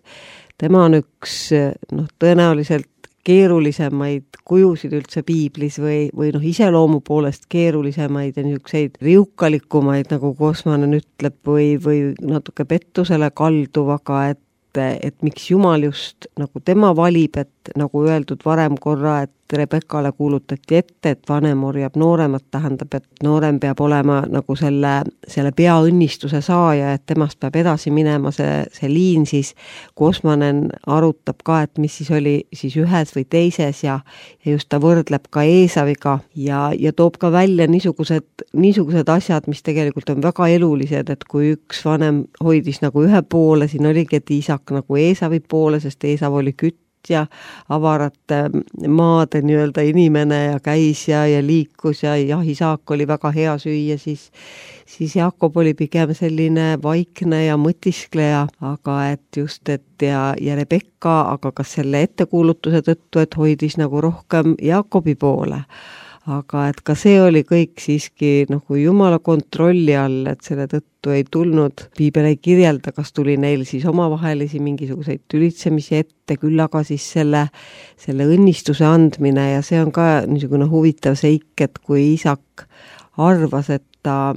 [SPEAKER 3] tema on üks noh, tõenäoliselt keerulisemaid kujusid üldse piiblis või, või noh, iseloomu poolest keerulisemaid ja niisuguseid riukalikumaid, nagu Kosmanen ütleb, või, või natuke pettusele kalduvaga, et et miks Jumal just nagu tema valib, et nagu öeldud varem korra, et Rebekale kuulutati ette, et vanem orjab nooremat, tähendab, et noorem peab olema nagu selle, selle peaõnnistuse saaja, et temast peab edasi minema see, see liin, siis Kosmanen arutab ka, et mis siis oli siis ühes või teises ja, ja just ta võrdleb ka Eesaviga ja, ja toob ka välja niisugused, niisugused asjad, mis tegelikult on väga elulised, et kui üks vanem hoidis nagu ühe poole, siin oligi, et Iisak nagu Eesavi poole, sest Eesav oli kütt ja avarate maade nii-öelda inimene ja käis ja, ja liikus ja jahisaak oli väga hea süüa, siis, siis Jakob oli pigem selline vaikne ja mõtiskleja, aga et just, et ja, ja Rebekka, aga kas selle ettekuulutuse tõttu, et hoidis nagu rohkem Jakobi poole. Aga et ka see oli kõik siiski nagu Jumala kontrolli all, et selle tõttu ei tulnud, piibel ei kirjelda, kas tuli neil siis omavahelisi mingisuguseid tülitsemisi ette, küll aga siis selle, selle õnnistuse andmine ja see on ka niisugune huvitav seik, et kui Isak arvas, et ta,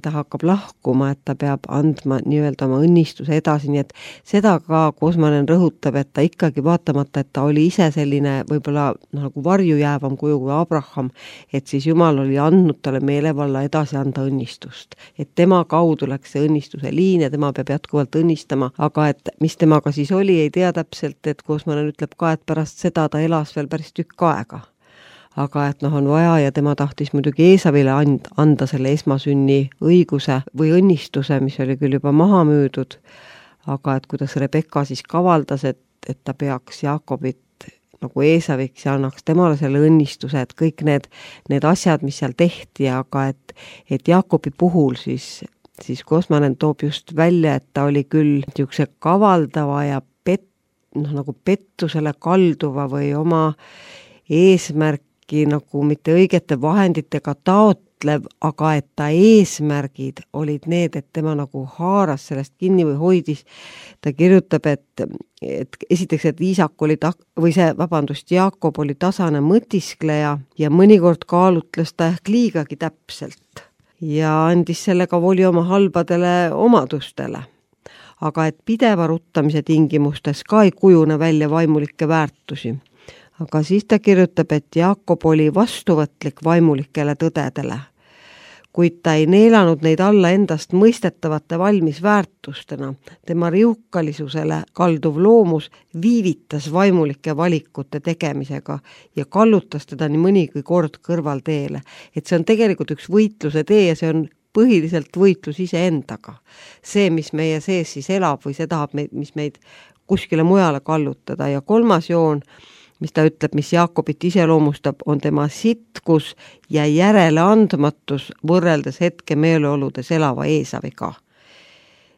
[SPEAKER 3] ta hakkab lahkuma, et ta peab andma nii-öelda oma õnnistuse edasi, nii et seda ka Kosmanen rõhutab, et ta ikkagi vaatamata, et ta oli ise selline võib-olla nagu varjujäävam kuju kui Abraham, et siis Jumal oli andnud talle meelevalla edasi anda õnnistust. Et tema kaudu läks see õnnistuse liin ja tema peab jätkuvalt õnnistama, aga et mis temaga siis oli, ei tea täpselt, et Kosmanen ütleb ka, et pärast seda ta elas veel päris tükk aega. Aga et noh, on vaja ja tema tahtis muidugi Eesavile and, anda selle esmasünni õiguse või õnnistuse, mis oli küll juba maha müüdud, aga et kuidas Rebekka siis kavaldas, et, et ta peaks Jaakobit nagu Eesaviks ja annaks temale selle õnnistuse, et kõik need, need asjad, mis seal tehti, aga et, et Jaakobi puhul siis, siis Kosmanen toob just välja, et ta oli küll niisuguse kavaldava ja pet, noh, nagu pettusele kalduva või oma eesmärk nagu mitte õigete vahenditega taotlev, aga et ta eesmärgid olid need, et tema nagu haaras sellest kinni või hoidis. Ta kirjutab, et, et esiteks, et Iisak oli ta, või see, vabandust, Jaakob oli tasane mõtiskleja ja mõnikord kaalutles ta ehk liigagi täpselt ja andis sellega voli oma halbadele omadustele. Aga et pideva ruttamise tingimustes ka ei kujune välja vaimulikke väärtusi. Aga siis ta kirjutab, et Jaakob oli vastuvõtlik vaimulikele tõdedele, kuid ta ei neelanud neid alla endast mõistetavate valmis väärtustena. Tema riukalisusele kalduv loomus viivitas vaimulike valikute tegemisega ja kallutas teda nii mõnigi kord kõrvalteele. Et see on tegelikult üks võitluse tee ja see on põhiliselt võitlus iseendaga. See, mis meie sees siis elab või see tahab, mis meid kuskile mujale kallutada ja kolmas joon, mis ta ütleb, mis Jaakobit iseloomustab, on tema sitkus ja järeleandmatus võrreldes hetke meeleoludes elava Eesaviga.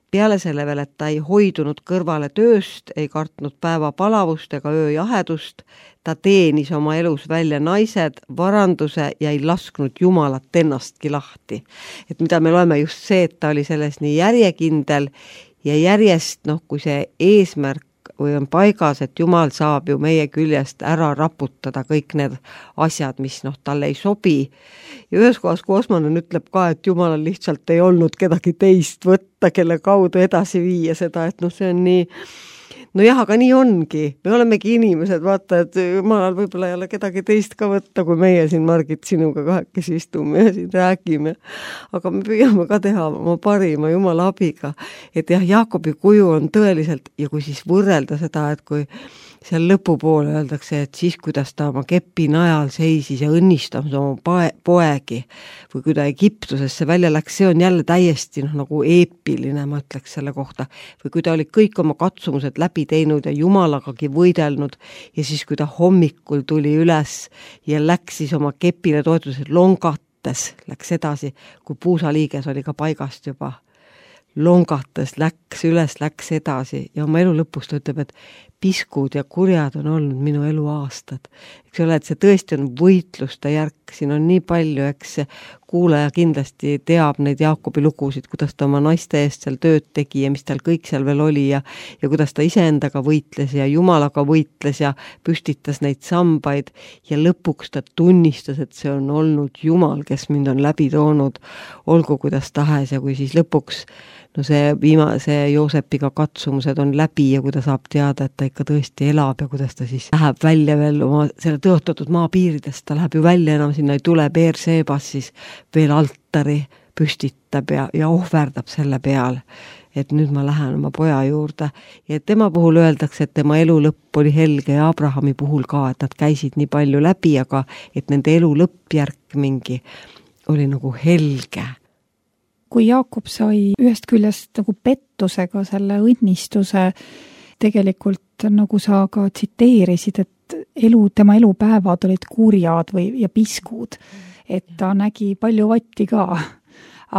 [SPEAKER 3] Peale selle veel, et ta ei hoidunud kõrvale tööst, ei kartnud päeva palavust ega öö jahedust, ta teenis oma elus välja naised, varanduse ja ei lasknud Jumalat ennastki lahti. Et mida me loeme just see, et ta oli selles nii järjekindel ja järjest, noh, kui see eesmärk või on paigas, et Jumal saab ju meie küljest ära raputada kõik need asjad, mis noh, talle ei sobi. Ja ühes kohas Kosmanen ütleb ka, et Jumalal lihtsalt ei olnud kedagi teist võtta, kelle kaudu edasi viia seda, et noh, see on nii, no jah, aga nii ongi. Me olemegi inimesed, vaata, et Jumalal võib-olla ei ole kedagi teist ka võtta, kui meie siin, Margit, sinuga kahekesi istume ja siin räägime. Aga me püüame ka teha oma parima Jumala abiga. Et jah, Jaakobi kuju on tõeliselt, ja kui siis võrrelda seda, et kui seal lõpupoole öeldakse, et siis, kuidas ta oma kepi najal seisis ja õnnistamas oma poegi või kui ta Egiptusesse välja läks, see on jälle täiesti noh, nagu eepiline, ma ütleks selle kohta. Või kui ta oli kõik oma katsumused läbi teinud ja Jumalagagi võidelnud ja siis, kui ta hommikul tuli üles ja läks siis oma kepile toetuses longates, läks edasi, kui puusaliiges oli ka paigast juba. Longates läks üles, läks edasi ja oma elu lõpus ta ütleb, et piskud ja kurjad on olnud minu elu aastad. Eks ole, et see tõesti on võitluste järk, siin on nii palju, eks kuulaja kindlasti teab neid Jaakobi lugusid, kuidas ta oma naiste eest seal tööd tegi ja mis tal kõik seal veel oli ja, ja kuidas ta iseendaga võitles ja Jumalaga võitles ja püstitas neid sambaid ja lõpuks ta tunnistas, et see on olnud Jumal, kes mind on läbi toonud, olgu kuidas tahes ja kui siis lõpuks no see viimase Joosepiga katsumused on läbi ja kui ta saab teada, et ta ikka tõesti elab ja kuidas ta siis läheb välja veel oma selle tõotatud maapiiridest, ta läheb ju välja, enam sinna ei tule, Beersebas siis veel altari püstitab ja, ja ohverdab selle peal, et nüüd ma lähen oma poja juurde ja tema puhul öeldakse, et tema elu lõpp oli helge ja Abrahami puhul ka, et nad käisid nii palju läbi, aga et nende elu lõppjärk mingi oli nagu helge.
[SPEAKER 2] Kui Jaakob sai ühest küljest nagu pettusega selle õnnistuse, tegelikult nagu sa ka tsiteerisid, et elu, tema elupäevad olid kurjad või, ja piskud, et ta nägi palju vatti ka.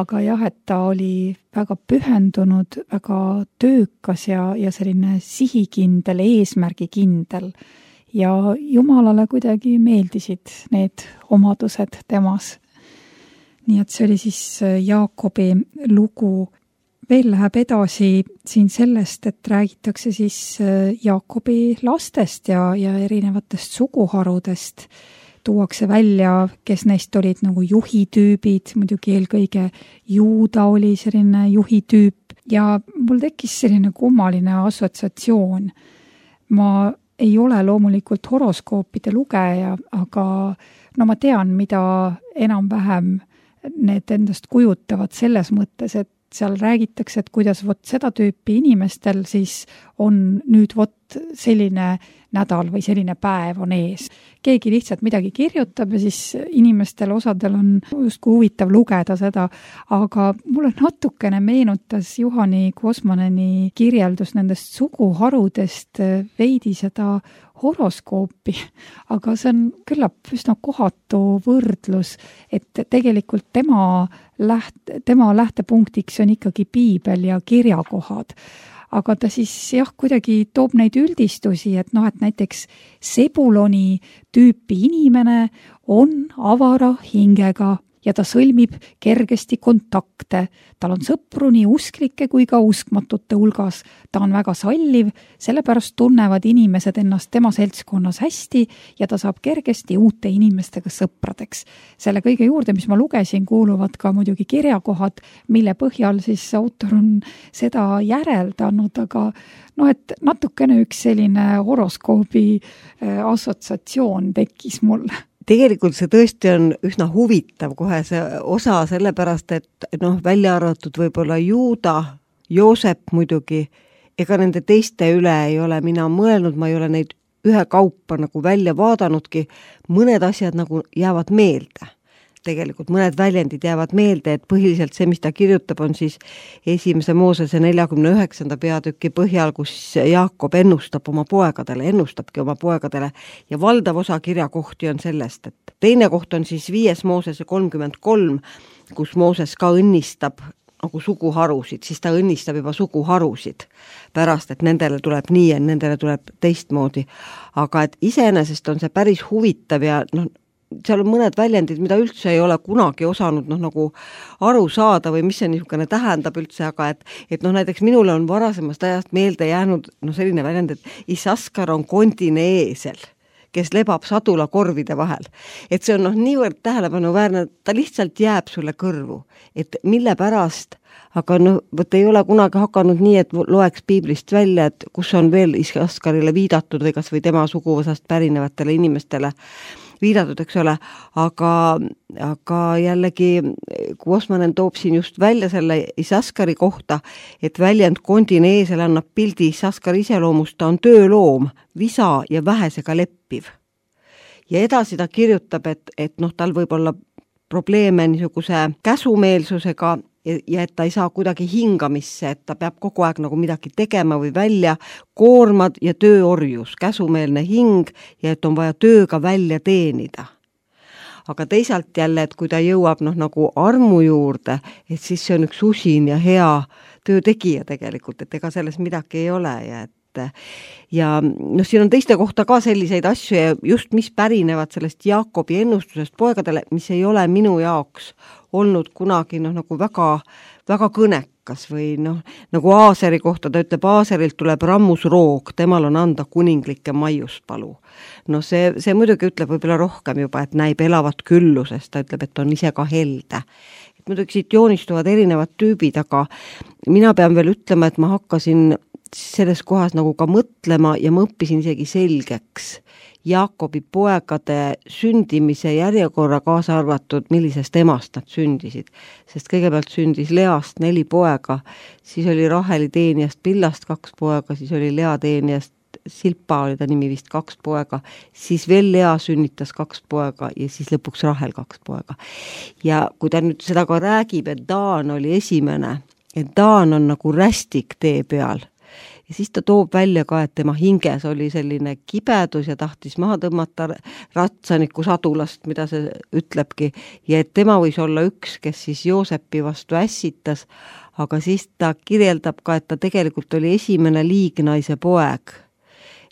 [SPEAKER 2] Aga jah, et ta oli väga pühendunud, väga töökas ja, ja selline sihikindel, eesmärgikindel. Ja Jumalale kuidagi meeldisid need omadused temas. Nii et see oli siis Jaakobi lugu. Veel läheb edasi siin sellest, et räägitakse siis Jaakobi lastest ja, ja erinevatest suguharudest. Tuuakse välja, kes neist olid nagu juhitüübid, muidugi eelkõige Juuda oli selline juhitüüp ja mul tekkis selline kummaline assotsiatsioon. Ma ei ole loomulikult horoskoopide lugeja, aga no ma tean, mida enam-vähem need endast kujutavad selles mõttes, et seal räägitakse, et kuidas vot seda tüüpi inimestel siis on nüüd vot selline nädal või selline päev on ees. Keegi lihtsalt midagi kirjutab ja siis inimestel osadel on justkui huvitav lugeda seda, aga mulle natukene meenutas Juhani Kosmaneni kirjeldus nendest suguharudest veidi seda horoskoopi, aga see on küllap üsna kohatu võrdlus, et tegelikult tema, läht, tema lähtepunktiks on ikkagi piibel ja kirjakohad. Aga ta siis jah, kuidagi toob neid üldistusi, et noh, et näiteks Sebuloni tüüpi inimene on avara hingega ja ta sõlmib kergesti kontakte. Tal on sõpru nii usklike kui ka uskmatute hulgas. Ta on väga salliv, sellepärast tunnevad inimesed ennast tema seltskonnas hästi ja ta saab kergesti uute inimestega sõpradeks. Selle kõige juurde, mis ma lugesin, kuuluvad ka muidugi kirjakohad, mille põhjal siis autor on seda järeldanud, aga noh, et natukene üks selline horoskoobi assotsiatsioon tekkis mulle.
[SPEAKER 3] Tegelikult see tõesti on üsna huvitav kohe see osa, sellepärast, et noh, välja arvatud võib-olla Juuda, Joosep muidugi, ega nende teiste üle ei ole mina mõelnud, ma ei ole neid ühe kaupa nagu välja vaadanudki, mõned asjad nagu jäävad meelde. Tegelikult mõned väljendid jäävad meelde, et põhiliselt see, mis ta kirjutab, on siis esimese Moosese neljakümne üheksanda peatüki põhjal, kus Jaakob ennustab oma poegadele, ennustabki oma poegadele ja valdav osa kirjakohti on sellest, et teine koht on siis viies Moosese kolmkümmend kolm, kus Mooses ka õnnistab nagu suguharusid, siis ta õnnistab juba suguharusid pärast, et nendele tuleb nii ja nendele tuleb teistmoodi. Aga et iseenesest on see päris huvitav ja noh, seal on mõned väljendid, mida üldse ei ole kunagi osanud noh, nagu aru saada või mis see niisugune tähendab üldse, aga et, et noh, näiteks minule on varasemast ajast meelde jäänud noh, selline väljend, et Isaskar on kondine eesel, kes lebab sadula korvide vahel. Et see on noh, niivõrd tähelepanuväärne, ta lihtsalt jääb sulle kõrvu, et mille pärast, aga noh, võt ei ole kunagi hakanud nii, et loeks piiblist välja, et kus on veel Isaskarile viidatud või kas või tema suguvõsast pärinevatele inimestele viidatud, eks ole, aga, aga jällegi Kosmanen toob siin just välja selle Isaskari kohta, et väljend kondine eesel annab pildi Isaskari iseloomust, ta on tööloom, visa ja vähesega leppiv. Ja edasi ta kirjutab, et, et noh, tal võib olla probleeme niisuguse käsumeelsusega ja et ta ei saa kuidagi hingamisse, et ta peab kogu aeg nagu midagi tegema või välja, koormad ja tööorjus, käsumeelne hing ja et on vaja tööga välja teenida. Aga teisalt jälle, et kui ta jõuab noh, nagu armu juurde, et siis see on üks usin ja hea töötegija tegelikult, et ega selles midagi ei ole ja et ja noh, siin on teiste kohta ka selliseid asju ja just mis pärinevad sellest Jaakobi ennustusest poegadele, mis ei ole minu jaoks olnud kunagi noh, nagu väga, väga kõnekas või noh, nagu Aaseri kohta ta ütleb, Aaserilt tuleb rammusroog, temal on anda kuninglikke maiuspalu. No see, see muidugi ütleb võib-olla rohkem juba, et näib elavat küllusest, ta ütleb, et on ise ka helde. Et muidugi siit joonistuvad erinevad tüübid, aga mina pean veel ütlema, et ma hakkasin selles kohas nagu ka mõtlema ja ma õppisin isegi selgeks Jaakobi poegade sündimise järjekorra kaasa arvatud, millisest emast nad sündisid. Sest kõigepealt sündis Least neli poega, siis oli Raheli teenijast Pillast kaks poega, siis oli Lea teenijast Silpa oli ta nimi vist kaks poega, siis veel Lea sünnitas kaks poega ja siis lõpuks Rahel kaks poega. Ja kui ta nüüd seda ka räägib, et Daan oli esimene, et Daan on nagu rästik tee peal, ja siis ta toob välja ka, et tema hinges oli selline kibedus ja tahtis maha tõmmata ratsaniku sadulast, mida see ütlebki, ja et tema võis olla üks, kes siis Joosepi vastu ässitas, aga siis ta kirjeldab ka, et ta tegelikult oli esimene liignaise poeg.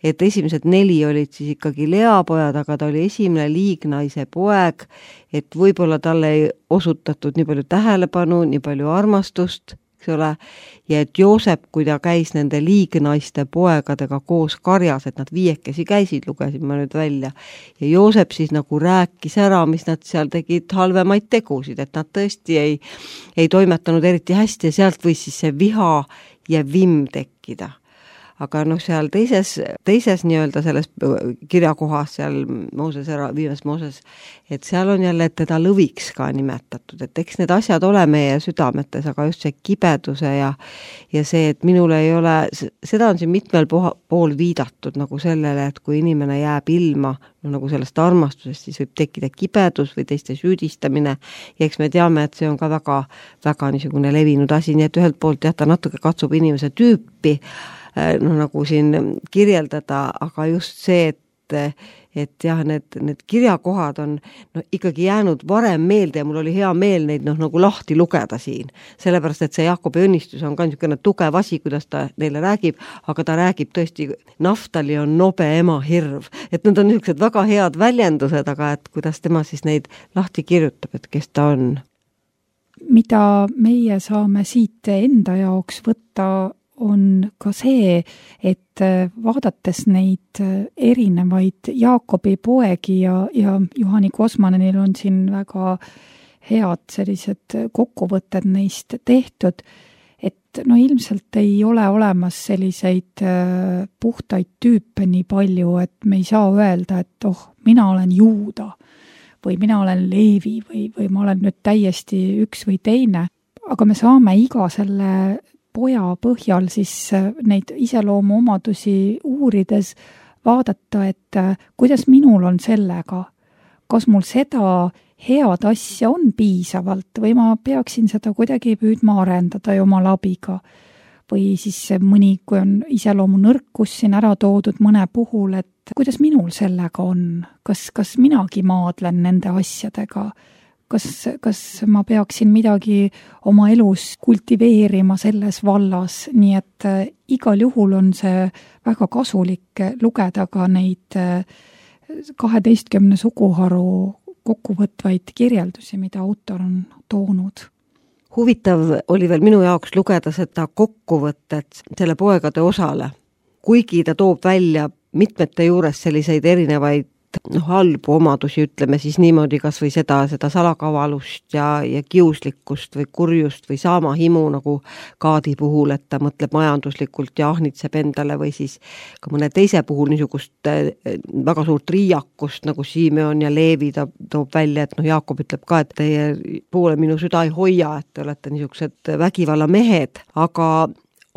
[SPEAKER 3] Et esimesed neli olid siis ikkagi Lea pojad, aga ta oli esimene liignaise poeg, et võib-olla talle ei osutatud nii palju tähelepanu, nii palju armastust, eks ole, ja et Joosep, kui ta käis nende liignaiste poegadega koos karjas, et nad viiekesi käisid, lugesin ma nüüd välja, ja Joosep siis nagu rääkis ära, mis nad seal tegid halvemaid tegusid, et nad tõesti ei, ei toimetanud eriti hästi ja sealt võis siis see viha ja vimm tekkida. Aga noh, seal teises, teises nii-öelda selles kirjakohas, seal Mooses ära, viimes Mooses, et seal on jälle teda lõviks ka nimetatud, et eks need asjad ole meie südametes, aga just see kibeduse ja, ja see, et minul ei ole, seda on siin mitmel pool viidatud nagu sellele, et kui inimene jääb ilma, no nagu sellest armastusest, siis võib tekkida kibedus või teiste süüdistamine ja eks me teame, et see on ka väga, väga niisugune levinud asi, nii et ühelt poolt jah, ta natuke katsub inimese tüüpi, no nagu siin kirjeldada, aga just see, et, et jah, need, need kirjakohad on no, ikkagi jäänud varem meelde ja mul oli hea meel neid noh, nagu lahti lugeda siin. Sellepärast, et see Jaakobi õnnistus on ka niisugune tugev asi, kuidas ta neile räägib, aga ta räägib tõesti, Naftali on nobe ema hirv. Et need on niisugused väga head väljendused, aga et kuidas tema siis neid lahti kirjutab, et kes ta on.
[SPEAKER 2] Mida meie saame siit enda jaoks võtta on ka see, et vaadates neid erinevaid Jaakobi poegi ja, ja Juhani Kosmanenil on siin väga head sellised kokkuvõtted neist tehtud, et no ilmselt ei ole olemas selliseid puhtaid tüüpe nii palju, et me ei saa öelda, et oh, mina olen Juuda või mina olen Leevi või, või ma olen nüüd täiesti üks või teine, aga me saame iga selle poja põhjal siis neid iseloomu omadusi uurides vaadata, et kuidas minul on sellega, kas mul seda head asja on piisavalt või ma peaksin seda kuidagi püüdma arendada jumala abiga. Või siis mõni, kui on iseloomu nõrkus siin ära toodud mõne puhul, et kuidas minul sellega on, kas, kas minagi maadlen nende asjadega, Kas, kas ma peaksin midagi oma elus kultiveerima selles vallas, nii et igal juhul on see väga kasulik lugeda ka neid kaheteistkümne suguharu kokkuvõtvaid kirjeldusi, mida autor on toonud.
[SPEAKER 3] Huvitav oli veel minu jaoks lugeda seda kokkuvõtet selle poegade osale, kuigi ta toob välja mitmete juures selliseid erinevaid noh, halbu omadusi, ütleme siis niimoodi kas või seda, seda salakavalust ja, ja kiuslikkust või kurjust või saamahimu nagu Kaadi puhul, et ta mõtleb majanduslikult ja ahnitseb endale või siis ka mõne teise puhul niisugust väga suurt riiakust nagu Simeon ja Leevi ta toob välja, et noh, Jaakob ütleb ka, et teie poole minu süda ei hoia, et te olete niisugused vägivalla mehed, aga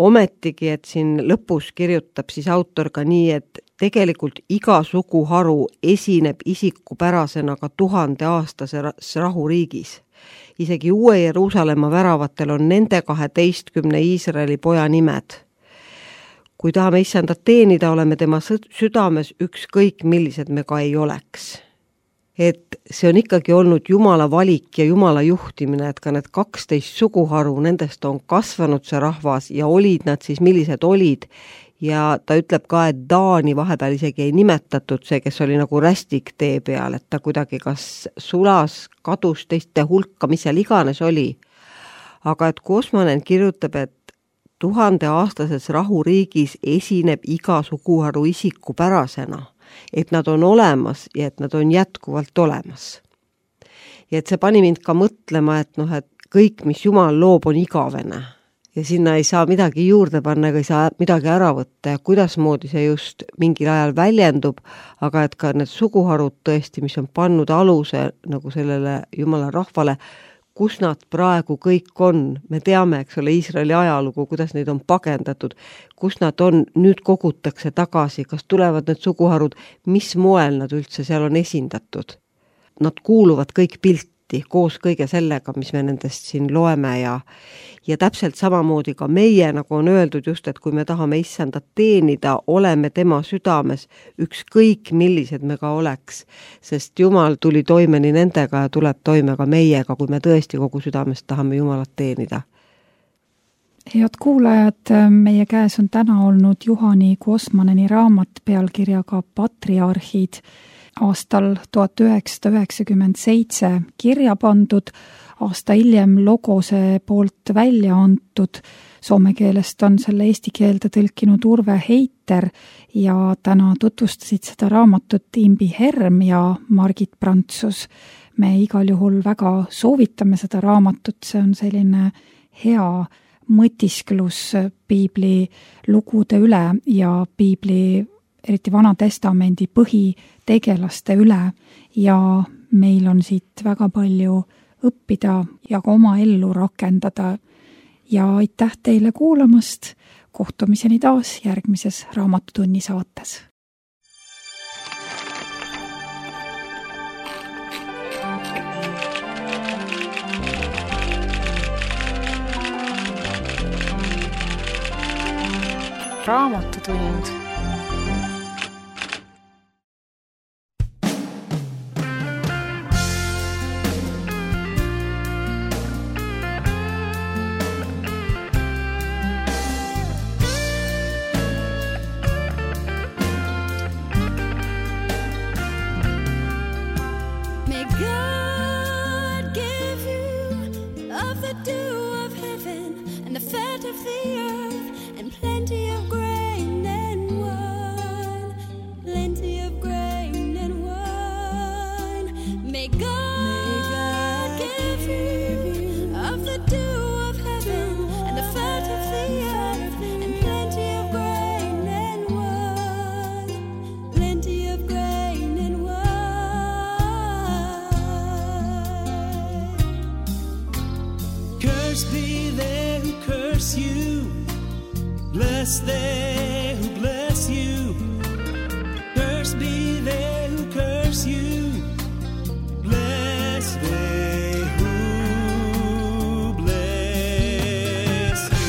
[SPEAKER 3] ometigi, et siin lõpus kirjutab siis autor ka nii, et tegelikult iga suguharu esineb isikupärasena ka tuhande aastases rahuriigis. Isegi Uue Jeruusalemma väravatel on nende kaheteistkümne Iisraeli poja nimed. Kui tahame issandat teenida, oleme tema südames ükskõik, millised me ka ei oleks. Et see on ikkagi olnud Jumala valik ja Jumala juhtimine, et ka need kaksteist suguharu, nendest on kasvanud see rahvas ja olid nad siis, millised olid. ja ta ütleb ka, et Taani vahepeal isegi ei nimetatud see, kes oli nagu rästik tee peal, et ta kuidagi kas sulas, kadus teiste hulka, mis seal iganes oli. Aga et Kosmonen kirjutab, et tuhandeaastases rahuriigis esineb iga suguharu isikupärasena, et nad on olemas ja et nad on jätkuvalt olemas. Ja et see pani mind ka mõtlema, et noh, et kõik, mis Jumal loob, on igavene ja sinna ei saa midagi juurde panna ega ei saa midagi ära võtta ja kuidas moodi see just mingil ajal väljendub, aga et ka need suguharud tõesti, mis on pannud aluse nagu sellele Jumala rahvale, kus nad praegu kõik on. Me teame, eks ole, Iisraeli ajalugu, kuidas neid on pagendatud, kus nad on, nüüd kogutakse tagasi, kas tulevad need suguharud, mis moel nad üldse seal on esindatud. Nad kuuluvad kõik pilti koos kõige sellega, mis me nendest siin loeme ja, ja täpselt samamoodi ka meie, nagu on öeldud just, et kui me tahame issandat teenida, oleme tema südames, ükskõik millised me ka oleks, sest Jumal tuli toime nii nendega ja tuleb toime ka meiega, kui me tõesti kogu südamest tahame Jumalat teenida.
[SPEAKER 2] Head kuulajad, meie käes on täna olnud Juhani Kosmoneni raamat pealkirjaga Patriarhid, aastal tuhat üheksasada üheksakümmend seitse kirja pandud, aasta hiljem Logose poolt välja antud. Soome keelest on selle eesti keelde tõlkinud Urve Heiter ja täna tutvustasid seda raamatut Imbi Herm ja Margit Prantsus. Me igal juhul väga soovitame seda raamatut, see on selline hea mõtisklus piibli lugude üle ja piibli eriti Vana Testamendi põhitegelaste üle ja meil on siit väga palju õppida ja ka oma ellu rakendada. Ja aitäh teile kuulamast, kohtumiseni taas järgmises Raamatutunni saates.
[SPEAKER 1] Raamatutund.
[SPEAKER 4] Bless they who bless you. Curse be they who curse you. Bless they who bless you.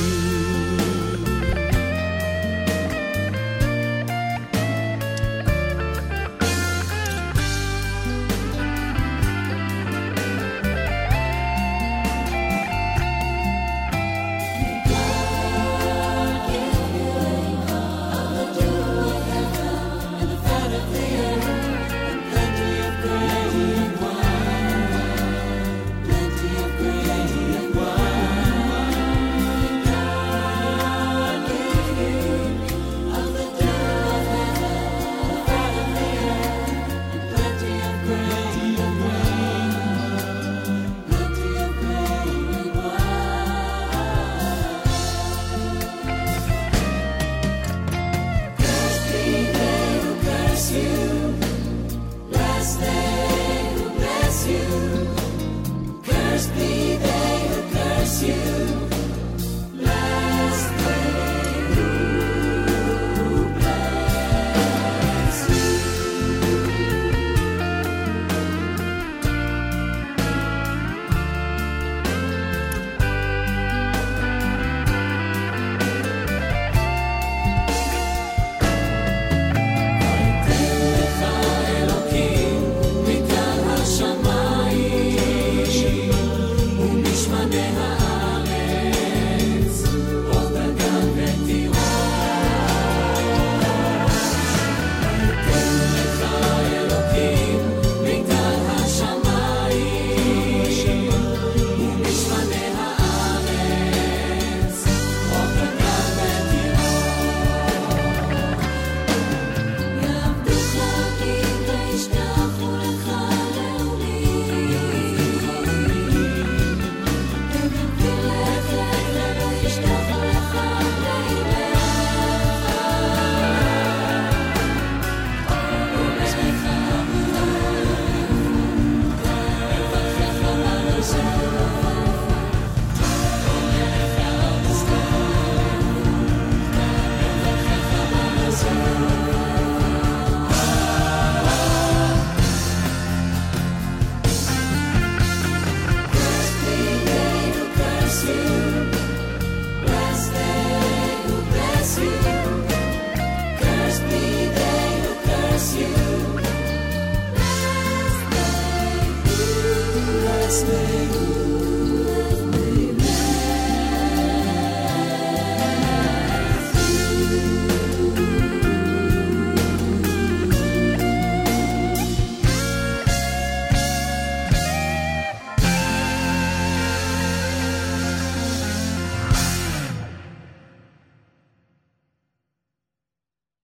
[SPEAKER 4] bless me.